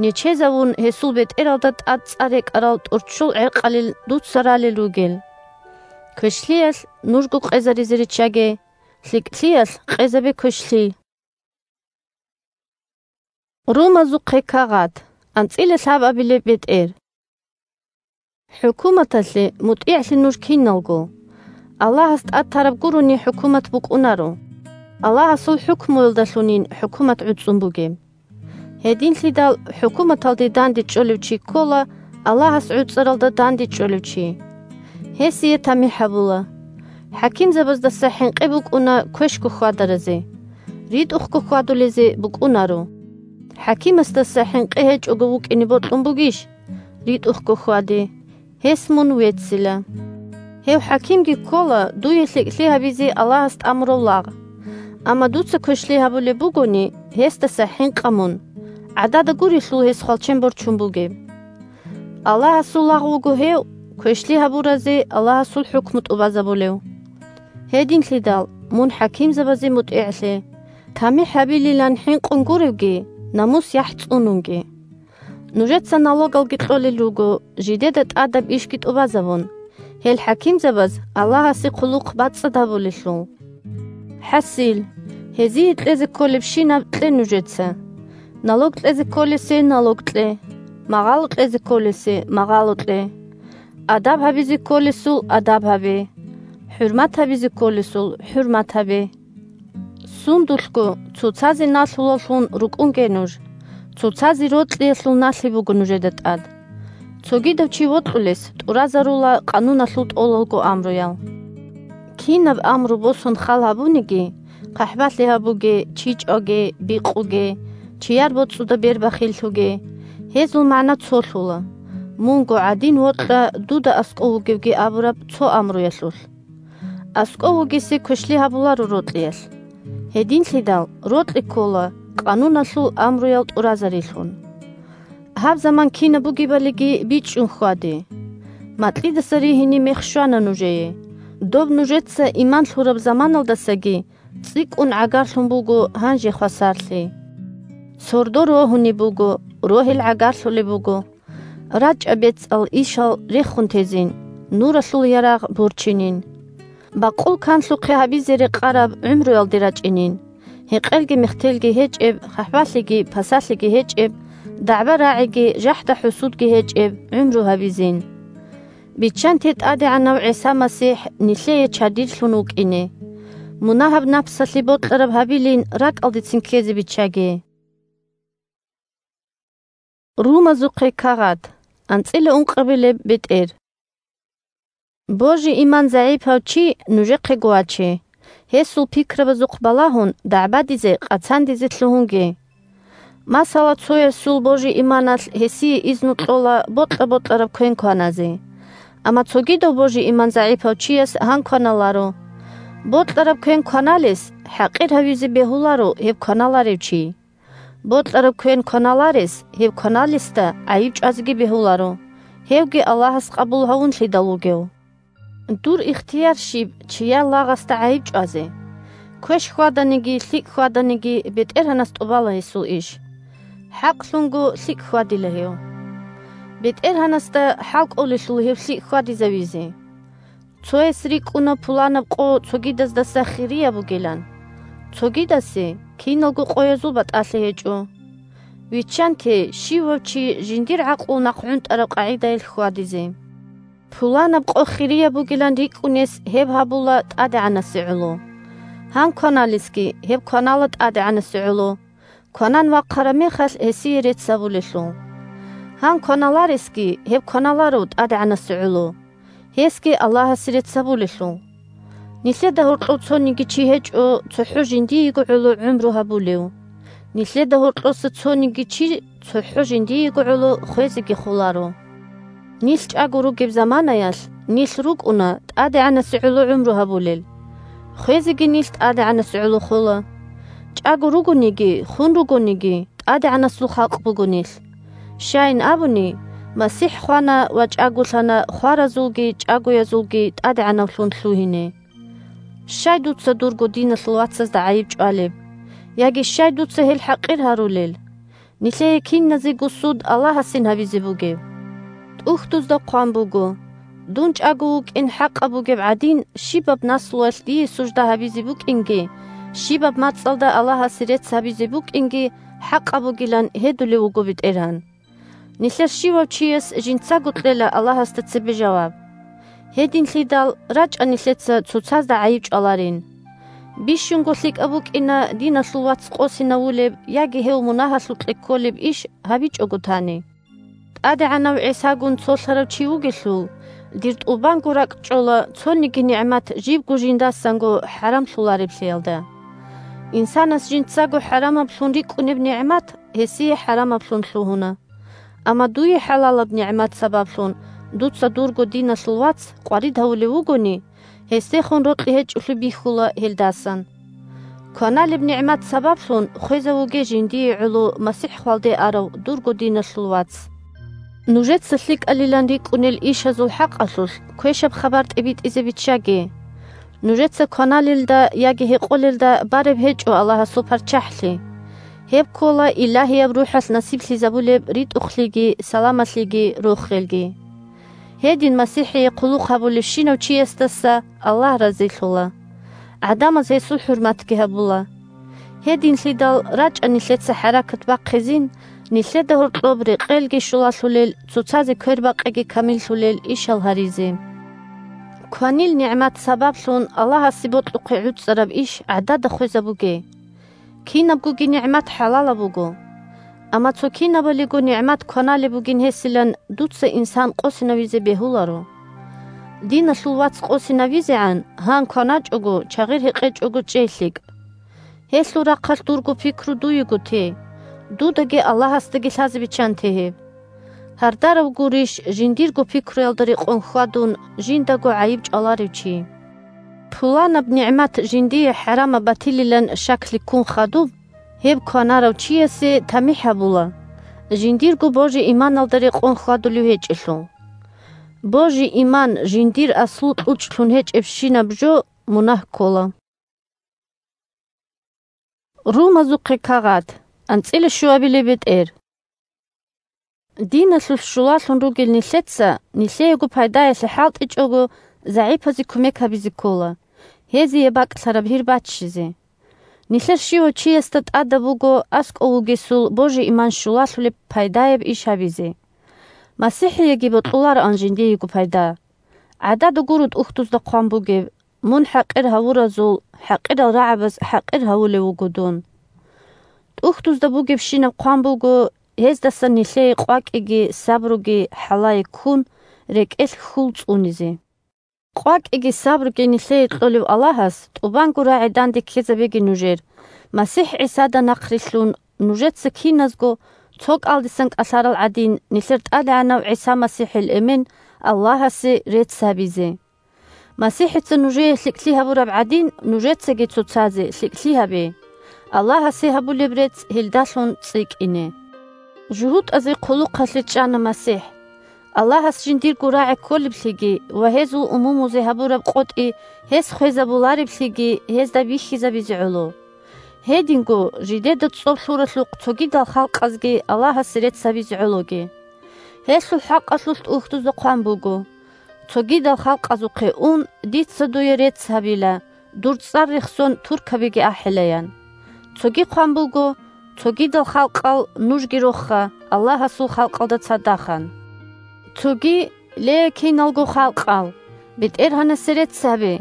Нечезавун, гьесул бетӀералда тӀад цӀар рекӀарал тӀорччол гӀеркъалил дуца ралел ругел. Квешлъиялъ нужго къезаризе риччаге, лъикӀлъиялъ къезабе квешлъи. Румазухъе кагъат, анцӀила лъабабилеб бетӀер. ХӀукуматалъе мутӀигӀлъи нуж киналго. Аллагьас тӀад тараб гурони хӀукумат букӀунаро. Аллагьасул хӀукмуялдалъунин хӀукумат гӀуцӀун бугеб. Гьединлъидал хӀукуматалде дандечӀолев чи ккола Аллагьас гӀуцӀаралда дандечӀолев чи. Гьесие тамихӀ гьабула. ХӀакимзабаздаса хӀинкъи букӀуна квешго хьвадаразе, ритӀухъго хьвадулезе букӀунаро. ХӀакимасдаса хӀинкъи гьечӀого вукӀине бокьун бугищ? РитӀухъго хьваде, гьес мун веццила. Гьев хӀакимги ккола дуе лъикӀлъи гьабизе Аллагьас тӀамурав лагъ. Амма дуца квешлъи гьабулеб бугони, гьесдаса хӀинкъа мун, гӀадада гурелъул гьес хвалчен борчун бугеб. Аллагьасул лагъ вуго гьев, квешлъи гьабуразе Аллагьасул хӀукму тӀубазабулев. Гьединлъидал мун хӀакимзабазе мутӀигӀлъе, тамихӀ гьабилилан хӀинкъун гуревги, намус-яхӀ цӀунунги. Нужеца налогалги кьолел руго, жидеда тӀадаб ишги тӀубазабун, гьел хӀакимзабаз Аллагьасе хъулухъ бацӀцӀад гьабулелъул. ХӀасил, гьезие кьезе кколебщинаб кье нужеца. Налог кьезе кколесе налог кье, магъало кьезе кколесе магъало кье. Адаб гьабизе кколесул адаб гьабе, хӀурмат гьабизе кколесул хӀурмат гьабе. Сундулъго цоцазе налъулаллъун рукӀунге нуж, цоцазе рокьиялъул налъи буго нужеда тӀад. Цогидав чи вокьулес тӀуразарула къануналъул тӀолалго амруял. Кинаб амру босун хал гьабуниги, хъахӀбалъи гьабуге, чи чӀваге, бикъуге, чияр боцӀуда бербахиллъуге, гьезул магӀна цолъула: «Мунго гӀадин вокьа дуда аскӀов вугевги» абураб цо амруялъулъ. АскӀов вугесе квешлъи гьабуларо рокьиялъ. Гьединлъидал рокьи ккола къануналъул амруял тӀуразарилъун. Гьаб заман кинаб бугебалиги бичӀчӀун хьваде. Макьидаса ригьине мех щвана нужее. Доб нужеца иман лъураб заманалдасаги цӀикӀкӀун гӀагарлъун буго гьанже хвасарлъи. Сордо рогьунеб буго, рогьел гӀагарлъулеб буго. РачӀа бецӀал ишал рехун тезин, нуралъул ярагъ борчинин. Бакъул канлъухъе гьабизе рекъараб гӀумруялде рачӀинин, гьекъелги-мехтелги гьечӀеб, хъахӀбалъиги пасалъиги гьечӀеб, дагӀба-рагӀиги жахӀда-хӀусудги гьечӀеб гӀумру гьабизин. Биччанте ТӀадегӀанав ГӀиса МасихӀ нилъее чадирлъун вукӀине. Мунагьаб напсалъе бокьараб гьабилин ракӀалдецин ккезе биччаге. Румазухъе кагъат, анцӀила ункъабилеб бетӀер. Божи-иман загӀипав чи нужехъего ваче. Гьесул пикрабазухъ балагьун, дагӀбадизе, къацандизе лъугьунге. Масала, цоясул божи-иманалъ гьесие изну кьола бокьа-бокьараб квен кваназе. Амма цогидав божи-иман загӀипав чияс гьан кваналаро. Бокьараб квен кваналес хӀакъир гьавизе бегьуларо гьеб кваналарев чи. Бокьараб квен кваналарес гьеб кваналесда гӀайиб чӀвазеги бегьуларо, гьевги Аллагьас къабул гьавунлъидал вугев. Дур ихтияр щиб чияр лагъасда гӀайиб чӀвазе? Квеш хьваданиги, лъикӀ хьваданиги БетӀергьанас тӀубала гьесул иш. ХӀакълъунго лъикӀ хьвадила гьев. БетӀергьанасда хӀал кӀолелъул гьев лъикӀ хьвадизавизе. Цояс рикӀкӀуна пуланаб къо цогидаздаса хирияб бугилан. Цогидасе киналго къоязул батӀалъи гьечӀо. Виччанте, щивав чи жиндир гӀакълу нахъгӀунтӀараб къагӀидаялъ хьвадизе. Пуланаб къо хирияб бугилан рикӀкӀунес гьеб гьабула ТӀадегӀанасе гӀоло. Гьан кваналесги, гьеб кванала ТӀадегӀанасе гӀоло, кванан вахъараб мехалъ гьесие рецц гьабулелъул. Гьан кваналаресги, гьеб кваналаро ТӀадегӀанасе гӀоло, гьесги Аллагьасе рецц гьабулелъул. Нилъеда гьоркьов цониги чи гьечӀо цохӀо жиндиего гӀоло гӀумру гьабулев. Нилъеда гьоркьоса цониги чи цохӀо жиндиего гӀоло хвезеги холаро. Нилъ чӀаго ругеб заманаялъ нилъ рукӀуна ТӀадегӀанасе гӀоло гӀумру гьабулел. Хвезеги нилъ ТӀадегӀанасе гӀоло хола. ЧӀаго ругониги, хун ругониги, ТӀадегӀанасул халкъ буго нилъ. Щайин абуни, МасихӀ хвана ва чӀаголъана хваразулги чӀагоязулги ТӀадегӀанавлъун лъугьине. Щай дуца дурго диналъул вацазда гӀайиб чӀвалеб? Яги щай дуца гьел хӀакъир гьарулел? Нилъее киназего суд Аллагьасин гьабизе бугеб. ТӀухьдузда хъван буго: «Дун чӀаго вукӀин хӀакъаб бугеб гӀадин, щибаб наслуялъ дие сужда гьабизе букӀинги, щибаб мацӀалда Аллагьасе рецц гьабизе букӀинги хӀакъаб бугилан гьедулев вуго БетӀергьан». Нилъер щивав чияс жинцаго кьела Аллагьасда цебе жаваб. Гьединлъидал рачӀа нилъеца цоцазда гӀайиб чӀваларин. Бищунго лъикӀаб букӀина диналъул вац къосинавулеб яги гьев мунагьалъукье кколеб иш гьабичӀого тани. ТӀадегӀанав ГӀисагун цолъарав чи вугелъул, дир тӀубанго ракӀчӀола цониги нигӀмат жибго жиндасанго хӀарамлъулареблъиялда. Инсанас жинцаго хӀарамаблъун рикӀкӀунеб нигӀмат гьесие хӀарамаблъун лъугьуна. Амма дуе хӀалалаб нигӀмат сабаблъун дуца дурго диналъул вац къварид гьавулев вугони, гьесдехун рокьи гьечӀолъи бихьула гьелдасан. Кваналеб нигӀмат сабаблъун хвезавуге жиндие гӀоло МасихӀ хвалде арав дурго диналъул вац. Нужеца лъикӀалилан рикӀкӀунел ишазул хӀакъалъулъ квешаб хабар тӀибитӀизе биччаге. Нужеца кваналелда яги гьекъолелда бареб гьечӀо Аллагьасул ПарччахӀлъи. Гьеб ккола Илагьияб РухӀалъ насиблъизабулеб ритӀухълъиги, саламалъиги, рохелги. Гьедин МасихӀие хъулухъ гьабулевщинав чиясдаса Аллагь разилъула. ГӀадамаз гьесул хӀурматги гьабула. Гьединлъидал рачӀа нилъеца хӀаракат бахъизин, нилъеда гьоркьоб рекъелги щулалъулел, цоцазе квербакъиги камиллъулел ишал гьаризе. Кванил нигӀмат сабаблъун Аллагьасе бокьухъе гӀуцӀараб иш гӀадада хвезабуге. Кинабгоги нигӀмат хӀалалаб буго. Амма цо кинабалиго нигӀмат кваналеб бугин гьесилан дуца инсан къосинавизе бегьуларо. Диналъул вац къосинавизегӀан гьан кваначӀого, чагъир гьекъечӀого чӀей лъикӀ. Гьелъул рахъалъ дурго пикру дуего те, дудаги Аллагьасдаги лъазе биччанте гьеб. Гьардарав гурищ жиндирго пикруялда рекъон хьвадун жиндаго гӀайиб чӀваларев чи? Пуланаб нигӀмат жиндие хӀарамаб батилилан щаклъи ккун хадуб, гьеб кванарав чиясе тамихӀ гьабула, жиндирго божи-иманалда рекъон хьвадулев гьечӀелъул. Божи-иман жиндир аслу кьучӀлъун гьечӀебщинаб жо мунагь ккола. Румазухъе кагъат, анцӀила щуабилеб бетӀер. Диналъулъ щулалъун ругел нилъеца, нилъеего пайдаялъе хӀалтӀичӀого, загӀипазе кумек гьабизе ккола, гьезие бакӀлъараб гьир баччизе. Нилъер щивав чиясда тӀадаб буго аскӀов вугесул божи-иман щулалъулеб пайдаяб иш гьабизе. МасихӀиеги бокьулароан жиндиего пайда. ГӀадада гуро тӀухьдузда хъван бугеб: «Мун хӀакъир гьавуразул хӀакъирал рагӀабаз хӀакъир гьавулев вуго дун». ТӀухьдузда бугебщинаб хъван буго, гьездасан нилъее къвакӀиги сабруги хӀалае ккун, рекӀелъ хьул цӀунизе. КъвакӀиги сабруги нилъее кьолев Аллагьас тӀубанго рагӀи данде ккезабеги нужер, МасихӀ ГӀисада нахърилълъун, нужеца киназго, цо кӀалдисан кӀалъарал гӀадин, нилъер ТӀадегӀанав ГӀиса МасихӀил эмен Аллагьасе рецц гьабизе. МасихӀица нужее лъикӀлъи гьабураб гӀадин, нужецаги цоцазе лъикӀлъи гьабе, Аллагьасе гьабулеб рецц гьелдалъун цӀикӀкӀине. ЖугьутӀазе хъулухъалъе чӀана МасихӀ. Аллагьас жиндирго рагӀи кколеблъиги ва гьезул умумузе гьабураб къотӀи гьес хвезабулареблъиги гьезда бихьизабизе гӀоло. Гьединго, жидеда цӀоб лъуралъухъ цогидал халкъазги Аллагьасе рецц гьабизе гӀологи. Гьелъул хӀакъалъулъ тӀухьдузда хъван буго: «Цогидал халкъазухъе ун, дица дуе рецц гьабила, дур цӀар рехсон туркабиги ахӀилаян». Цоги хъван буго: Цогидал халкъал нужги рохха Аллагьасул халкъалда цадахъан. Цоги: «Ле, киналго халкъал, БетӀергьанасе рецц гьабе!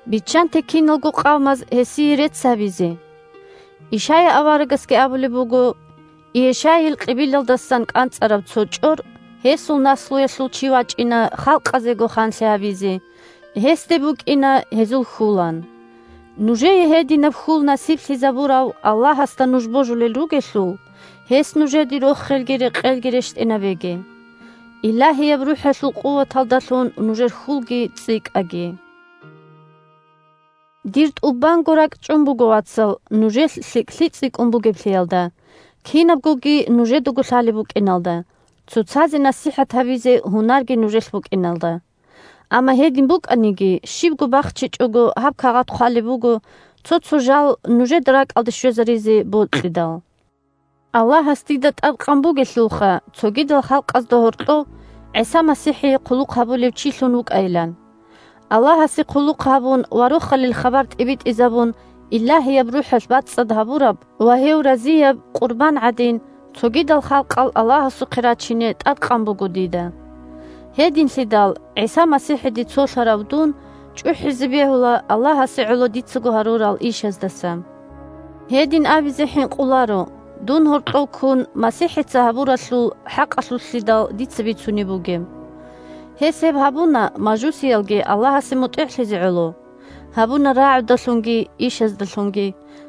Биччанте киналго къавмаз гьесие рецц гьабизе!» Ишая аварагасги абулеб буго: «Иешайил къибилалдасан кӀанцӀараб цо чӀор, гьесул наслуялъул чи вачӀина халкъазего ханлъи гьабизе, гьесде букӀина гьезул хьул», – ан. Нужее гьединаб хьул насиблъизабурав Аллагьасда нуж божулел ругелъул, гьес нужеде рохелги рекъелги рещтӀинабеги. Илагьияб РухӀалъул къуваталдалъун нужер хьулги цӀикӀкӀаги. Дир тӀубанго ракӀчӀун буго, вацал, нужелъ лъикӀлъи цӀикӀкӀун бугеблъиялда, кинабгоги нужедаго лъалеб букӀиналда, цоцазе насихӀат гьабизе гьунарги нужелъ букӀиналда. Амма гьедин букӀаниги, щибго бахчичӀого гьаб кагъат хъвалеб буго, цо-цо жал нужеда ракӀалде щвезаризе бокьидал. Аллагьас дида тӀадкъан бугелъулха, цогидал халкъазда гьоркьов ГӀиса МасихӀие хъулухъ гьабулев чилъун вукӀайилан. Аллагьасе хъулухъ гьабун ва Рохалил хабар тӀибитӀизабун, Илагьияб РухӀалъ бацӀцӀад гьабураб ва гьев разияб къурбан гӀадин, цогидал халкъал Аллагьасухъе рачине тӀадкъан буго дида. Гьединлъидал ГӀиса МасихӀиде цолъарав дун чӀухӀизе бегьула Аллагьасе гӀоло дицаго гьарурал ишаздаса. Гьедин абизе хӀинкъуларо, дун гьоркьов ккун МасихӀица гьабуралъул хӀакъалъулъидал дица бицунеб бугеб. Гьес гьеб гьабуна мажусиялги Аллагьасе мутӀигӀлъизе гӀоло, гьабуна рагӀудалъунги ишаздалъунги,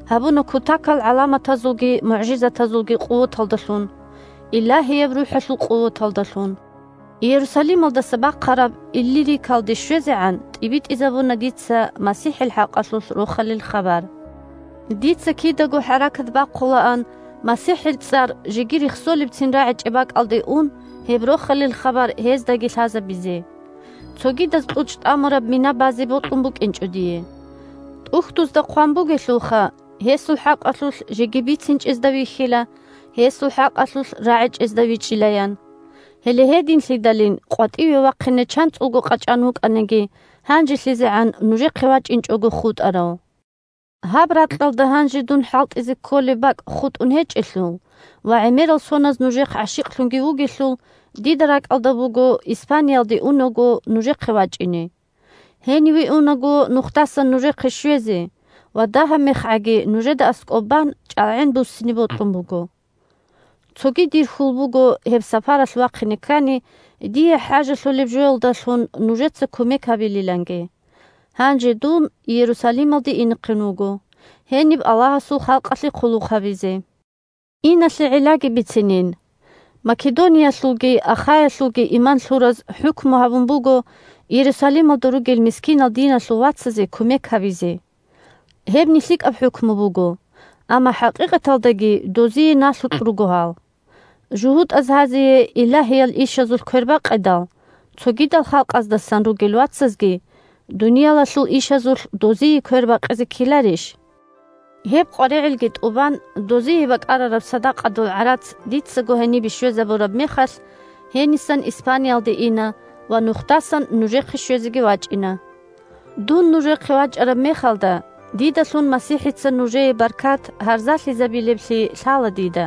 гьабуна кутакал гӀаламатазулги мугӀжизатазулги къуваталдалъун, Илагьияб РухӀалъул къуваталдалъун. Иерусалималдаса бахъараб Иллирикалде щвезегӀан тӀибитӀизабуна дица МасихӀил хӀакъалъулъ Рохалил хабар. Дица кидаго хӀаракат бахъулаан МасихӀил цӀар жеги рехсолебцин рагӀичӀеб бакӀалде ун, гьеб Рохалил хабар гьездаги лъазабизе. Цогидаз кьучӀ тӀамураб мина базе бокьун букӀинчӀо дие. ТӀухьдузда хъван бугелъулха: «Гьесул хӀакъалъулъ жеги бицинчӀезда вихьила, гьесул хӀакъалъулъ рагӀичӀезда вичӀчӀила», – ян. Гьеле гьединлъидалин къватӀиве вахъине чанцӀулго къачӀан вукӀаниги, гьанжелъизегӀан нужехъе вачӀинчӀого хутӀарав. Гьаб ракьалда гьанже дун хӀалтӀизе кколеб бакӀ хутӀун гьечӀелъул ва гӀемерал соназ нужехъ гӀащикълъунги вугелъул, дида ракӀалда буго Испаниялде унаго нужехъе вачӀине. Гьениве унаго нухдасан нужехъе щвезе ва дагьаб мехгӀаги нужеда аскӀоб бан чӀалгӀен буссине бокьун буго. Цоги дир хьул буго гьеб сапаралъ вахъине ккани, дие хӀажалъулеб жоялдалъун нужеца кумек гьабилиланги. Гьанже дун Иерусалималде инехъин вуго, гьениб Аллагьасул халкъалъе хъулухъ гьабизе. Иналъе гӀиллаги бицинин. Македониялъулги Ахаялъулги иман лъураз хӀукму гьабун буго Иерусалималда ругел мискинал диналъул вацазе кумек гьабизе. Гьеб нилъикӀаб хӀукму буго, амма хӀакъикъаталдаги дозие налъукь руго гьал. ЖугьутӀаз гьазие илагьиял ишазулъ квербакъидал, цогидал халкъаздасан ругел вацазги дуниялалъул ишазулъ дозие квербакъизе ккеларищ? Гьеб къваригӀелги тӀубан, дозие бакӀарараб садакъадул гӀарац дицаго гьенибе щвезабураб мехалъ, гьенисан Испаниялде ина ва нухдасан нужехъе щвезеги вачӀина. Дун нужехъе вачӀараб мехалда, дидалъун МасихӀица нужее баркат гьарзалъизабилеблъи лъала дида.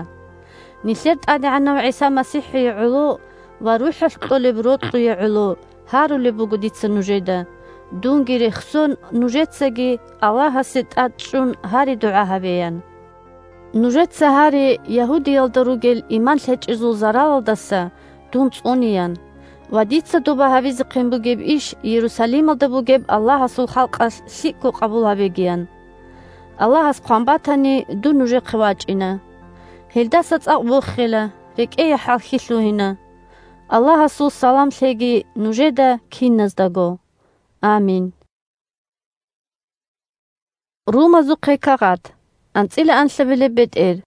Нилъер ТӀадегӀанав ГӀиса МасихӀие гӀоло ва РухӀалъ кьолеб рокьуе гӀоло гьарулеб буго дица нужеда, дунги рехсон, нужецаги Аллагьасе тӀад чӀун гьари-дугӀа гьабеян. Нужеца гьаре Ягьудиялда ругел иман лъечӀезул заралалдаса дун цӀунеян ва дица доба гьабизехъин бугеб иш Иерусалималда бугеб Аллагьасул халкъалъ лъикӀго къабул гьабегиян. Аллагьас хъван батани, дун нужехъе вачӀина. Гьелдаса цӀакъ бохела, рекӀее хӀалхьи лъугьина. Аллагьасул салам лъеги нужеда киназдаго. Амин. Румазухъе кагъат. АнцӀила анлъабилеб бетӀер.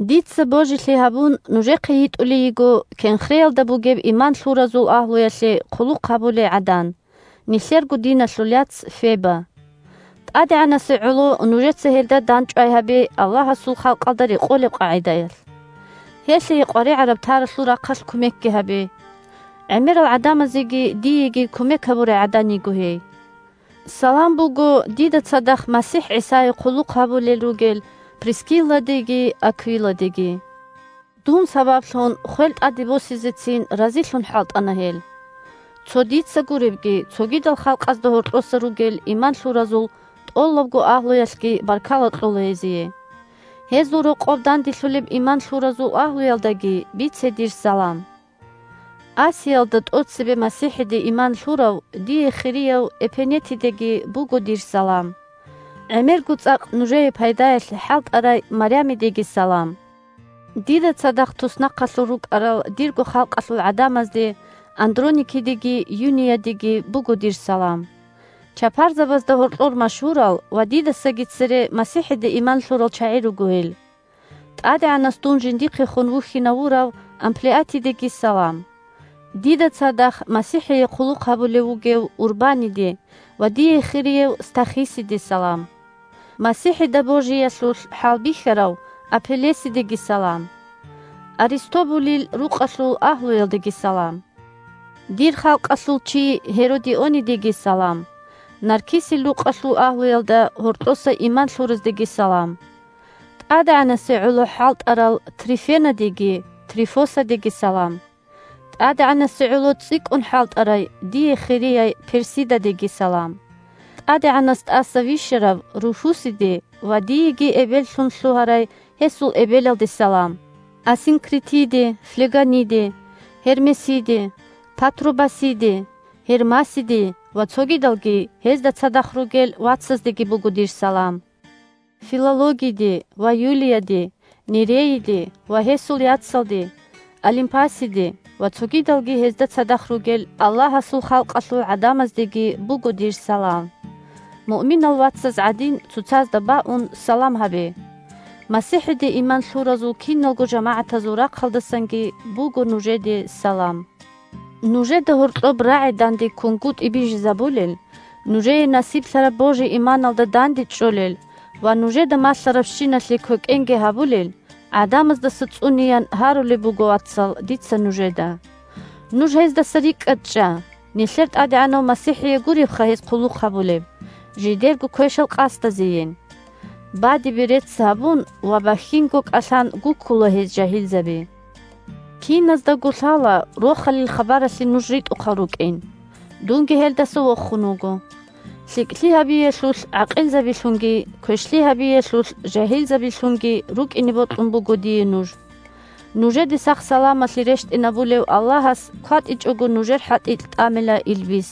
Дица божилъи гьабун, нужехъе йитӀулей йиго Кенхреялда бугеб иман лъуразул агьлуялъе хъулухъ гьабулей гӀадан, нилъерго диналъул яц Феба. ТӀадегӀанасе гӀоло нужеца гьелда дандчӀвай гьабе Аллагьасул халкъалда рекъолеб къагӀидаялъ. Гьелъие къваригӀараб таралъул рахъалъ кумекги гьабе. ГӀемерал гӀадамазеги диеги кумек гьабурай гӀадан йиго гьей. Салам буго дида цадахъ МасихӀ ГӀисае хъулухъ гьабулел ругел Прискилладеги Аквиладеги. Дун сабаблъун хвел тӀаде босизецин разилъун хӀалтӀана гьел. Цо дица гуребги, цогидал халкъазда гьоркьоса ругел иман лъуразул тӀолабго агьлуялъги баркала кьола гьезие. Гьезул рокъоб данделъулеб иман лъуразул агьлуялдаги бице дир салам. Асиялда тӀоцебе МасихӀиде иман лъурав дие хирияв Эпенетидеги буго дир салам. ГӀемерго цӀакъ нужее пайдаялъе хӀалтӀарай Марямидеги салам. Дида цадахъ туснахъалъур рукӀарал дирго халкъалъул гӀадамазде Андроникидеги Юниядеги буго дир салам. Чапарзабазда гьоркьор машгьурал ва дидасаги цере МасихӀиде иман лъурал чагӀи руго гьел. ТӀадегӀанас дун жиндихъехун вухьинав вурав Амплиатидеги салам. Дида цадахъ МасихӀие хъулухъ гьабулев вугев Урбаниде ва дие хириев Стахисиде салам. МасихӀида божиялъулъ хӀалбихьарав Апеллесидеги салам. Аристобулил рукъалъул агьлуялдеги салам. Дир халкъалъул чи Гьеродионидеги салам. Наркисил рукъалъул агьлуялда гьоркьоса иман лъураздеги салам. ТӀадегӀанасе гӀоло хӀалтӀарал Трифенадеги Трифосадеги салам. ТӀадегӀанасе гӀоло цӀикӀкӀун хӀалтӀарай дие хирияй Персидадеги салам. ТӀадегӀанас тӀаса вищарав Руфусиде ва диеги эбеллъун лъугьарай гьесул эбелалде салам. Асинкритиде, Флеганиде, Гьермесиде, Патрубасиде, Гьермасиде ва цогидалги гьезда цадахъ ругел вацаздеги буго дир салам. Филологиде ва Юлияде, Нереиде ва гьесул яцалде, Олимпасиде ва цогидалги гьезда цадахъ ругел Аллагьасул халкъалъул гӀадамаздеги буго дир салам. Муъминал вацаз гӀадин цоцазда баун салам гьабе. МасихӀиде иман лъуразул киналго жамагӀатазул рахъалдасанги буго нужеде салам. Нужеда гьоркьоб рагӀи данде ккунгутӀи бижизабулел, нужее насиблъараб божи-иманалда данде чӀолел ва нужеда малъарабщиналъе квекӀенги гьабулел, гӀадамаздаса цӀунеян гьарулеб буго, вацал, дица нужеда. Нуж гьездаса рикӀкӀад чӀа, нилъер ТӀадегӀанав МасихӀие гуребха гьез хъулухъ гьабулеб, жидерго квешал къасдазейин. Бадибе рецц гьабун ва бахьинго кӀалъан гуккула гьез жагьилзаби. Киназдаго лъала Рохалил хабаралъе нуж ритӀухъал рукӀин. Дунги гьелдаса вохун вуго. ЛъикӀлъи гьабиялъулъ гӀакъилзабилъунги, квешлъи гьабиялъулъ жагьилзабилъунги рукӀине бокьун буго дие нуж. Нужеде сах-саламалъи рещтӀинабулев Аллагьас кватӀичӀого нужер хӀатӀикь тӀамила илбис.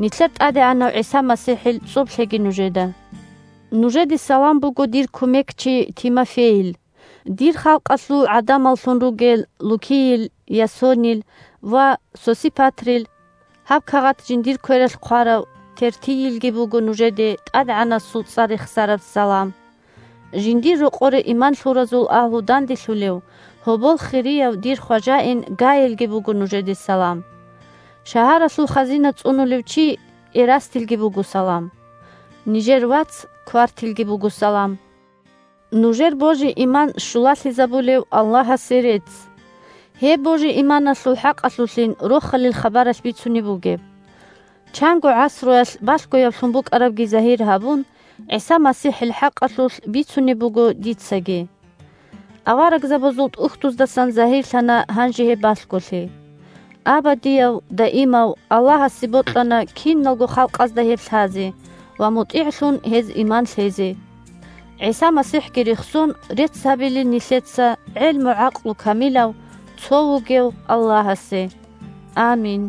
Нилъер ТӀадегӀанав ГӀиса МасихӀил цӀоб лъеги нужеда. Нужеде салам буго дир кумекчи Тимофейил. Дир халкъалъул гӀадамаллъун ругел Лукийил, Ясонил ва Сосипатрил, гьаб кагъат жиндир квералъ хъварав Тертийилги буго нужеде ТӀадегӀанасул цӀар рехсараб салам. Жиндир рокъоре иман лъуразул агьлу данделъулев, гьобол хирияв дир хважаин Гаилги буго нужеде салам. Шагьаралъул хазина цӀунулев чи Эрастилги буго салам. Нижер вац Квартилги буго салам. Нужер божи-иман щулалъизабулев Аллагьасе рецц. Гьеб божи-иманалъул хӀакъалъулъин Рохалил хабаралъ бицунеб бугеб. Чанго гӀасруялъ балъгояблъун букӀарабги загьир гьабун, ГӀиса МасихӀил хӀакъалъулъ бицунеб буго дицаги. Аварагзабазул тӀухьдуздасан загьирлъана гьанже гьеб балъголъи. Абадияв, даимав Аллагьасе бокьана киналго халкъазда гьеб лъазе ва мутӀигӀлъун гьез иман лъезе. ГӀиса МасихӀги рехсон рецц гьабилин нилъеца гӀелму-гӀакълу камилав цо вугев Аллагьасе. Амин.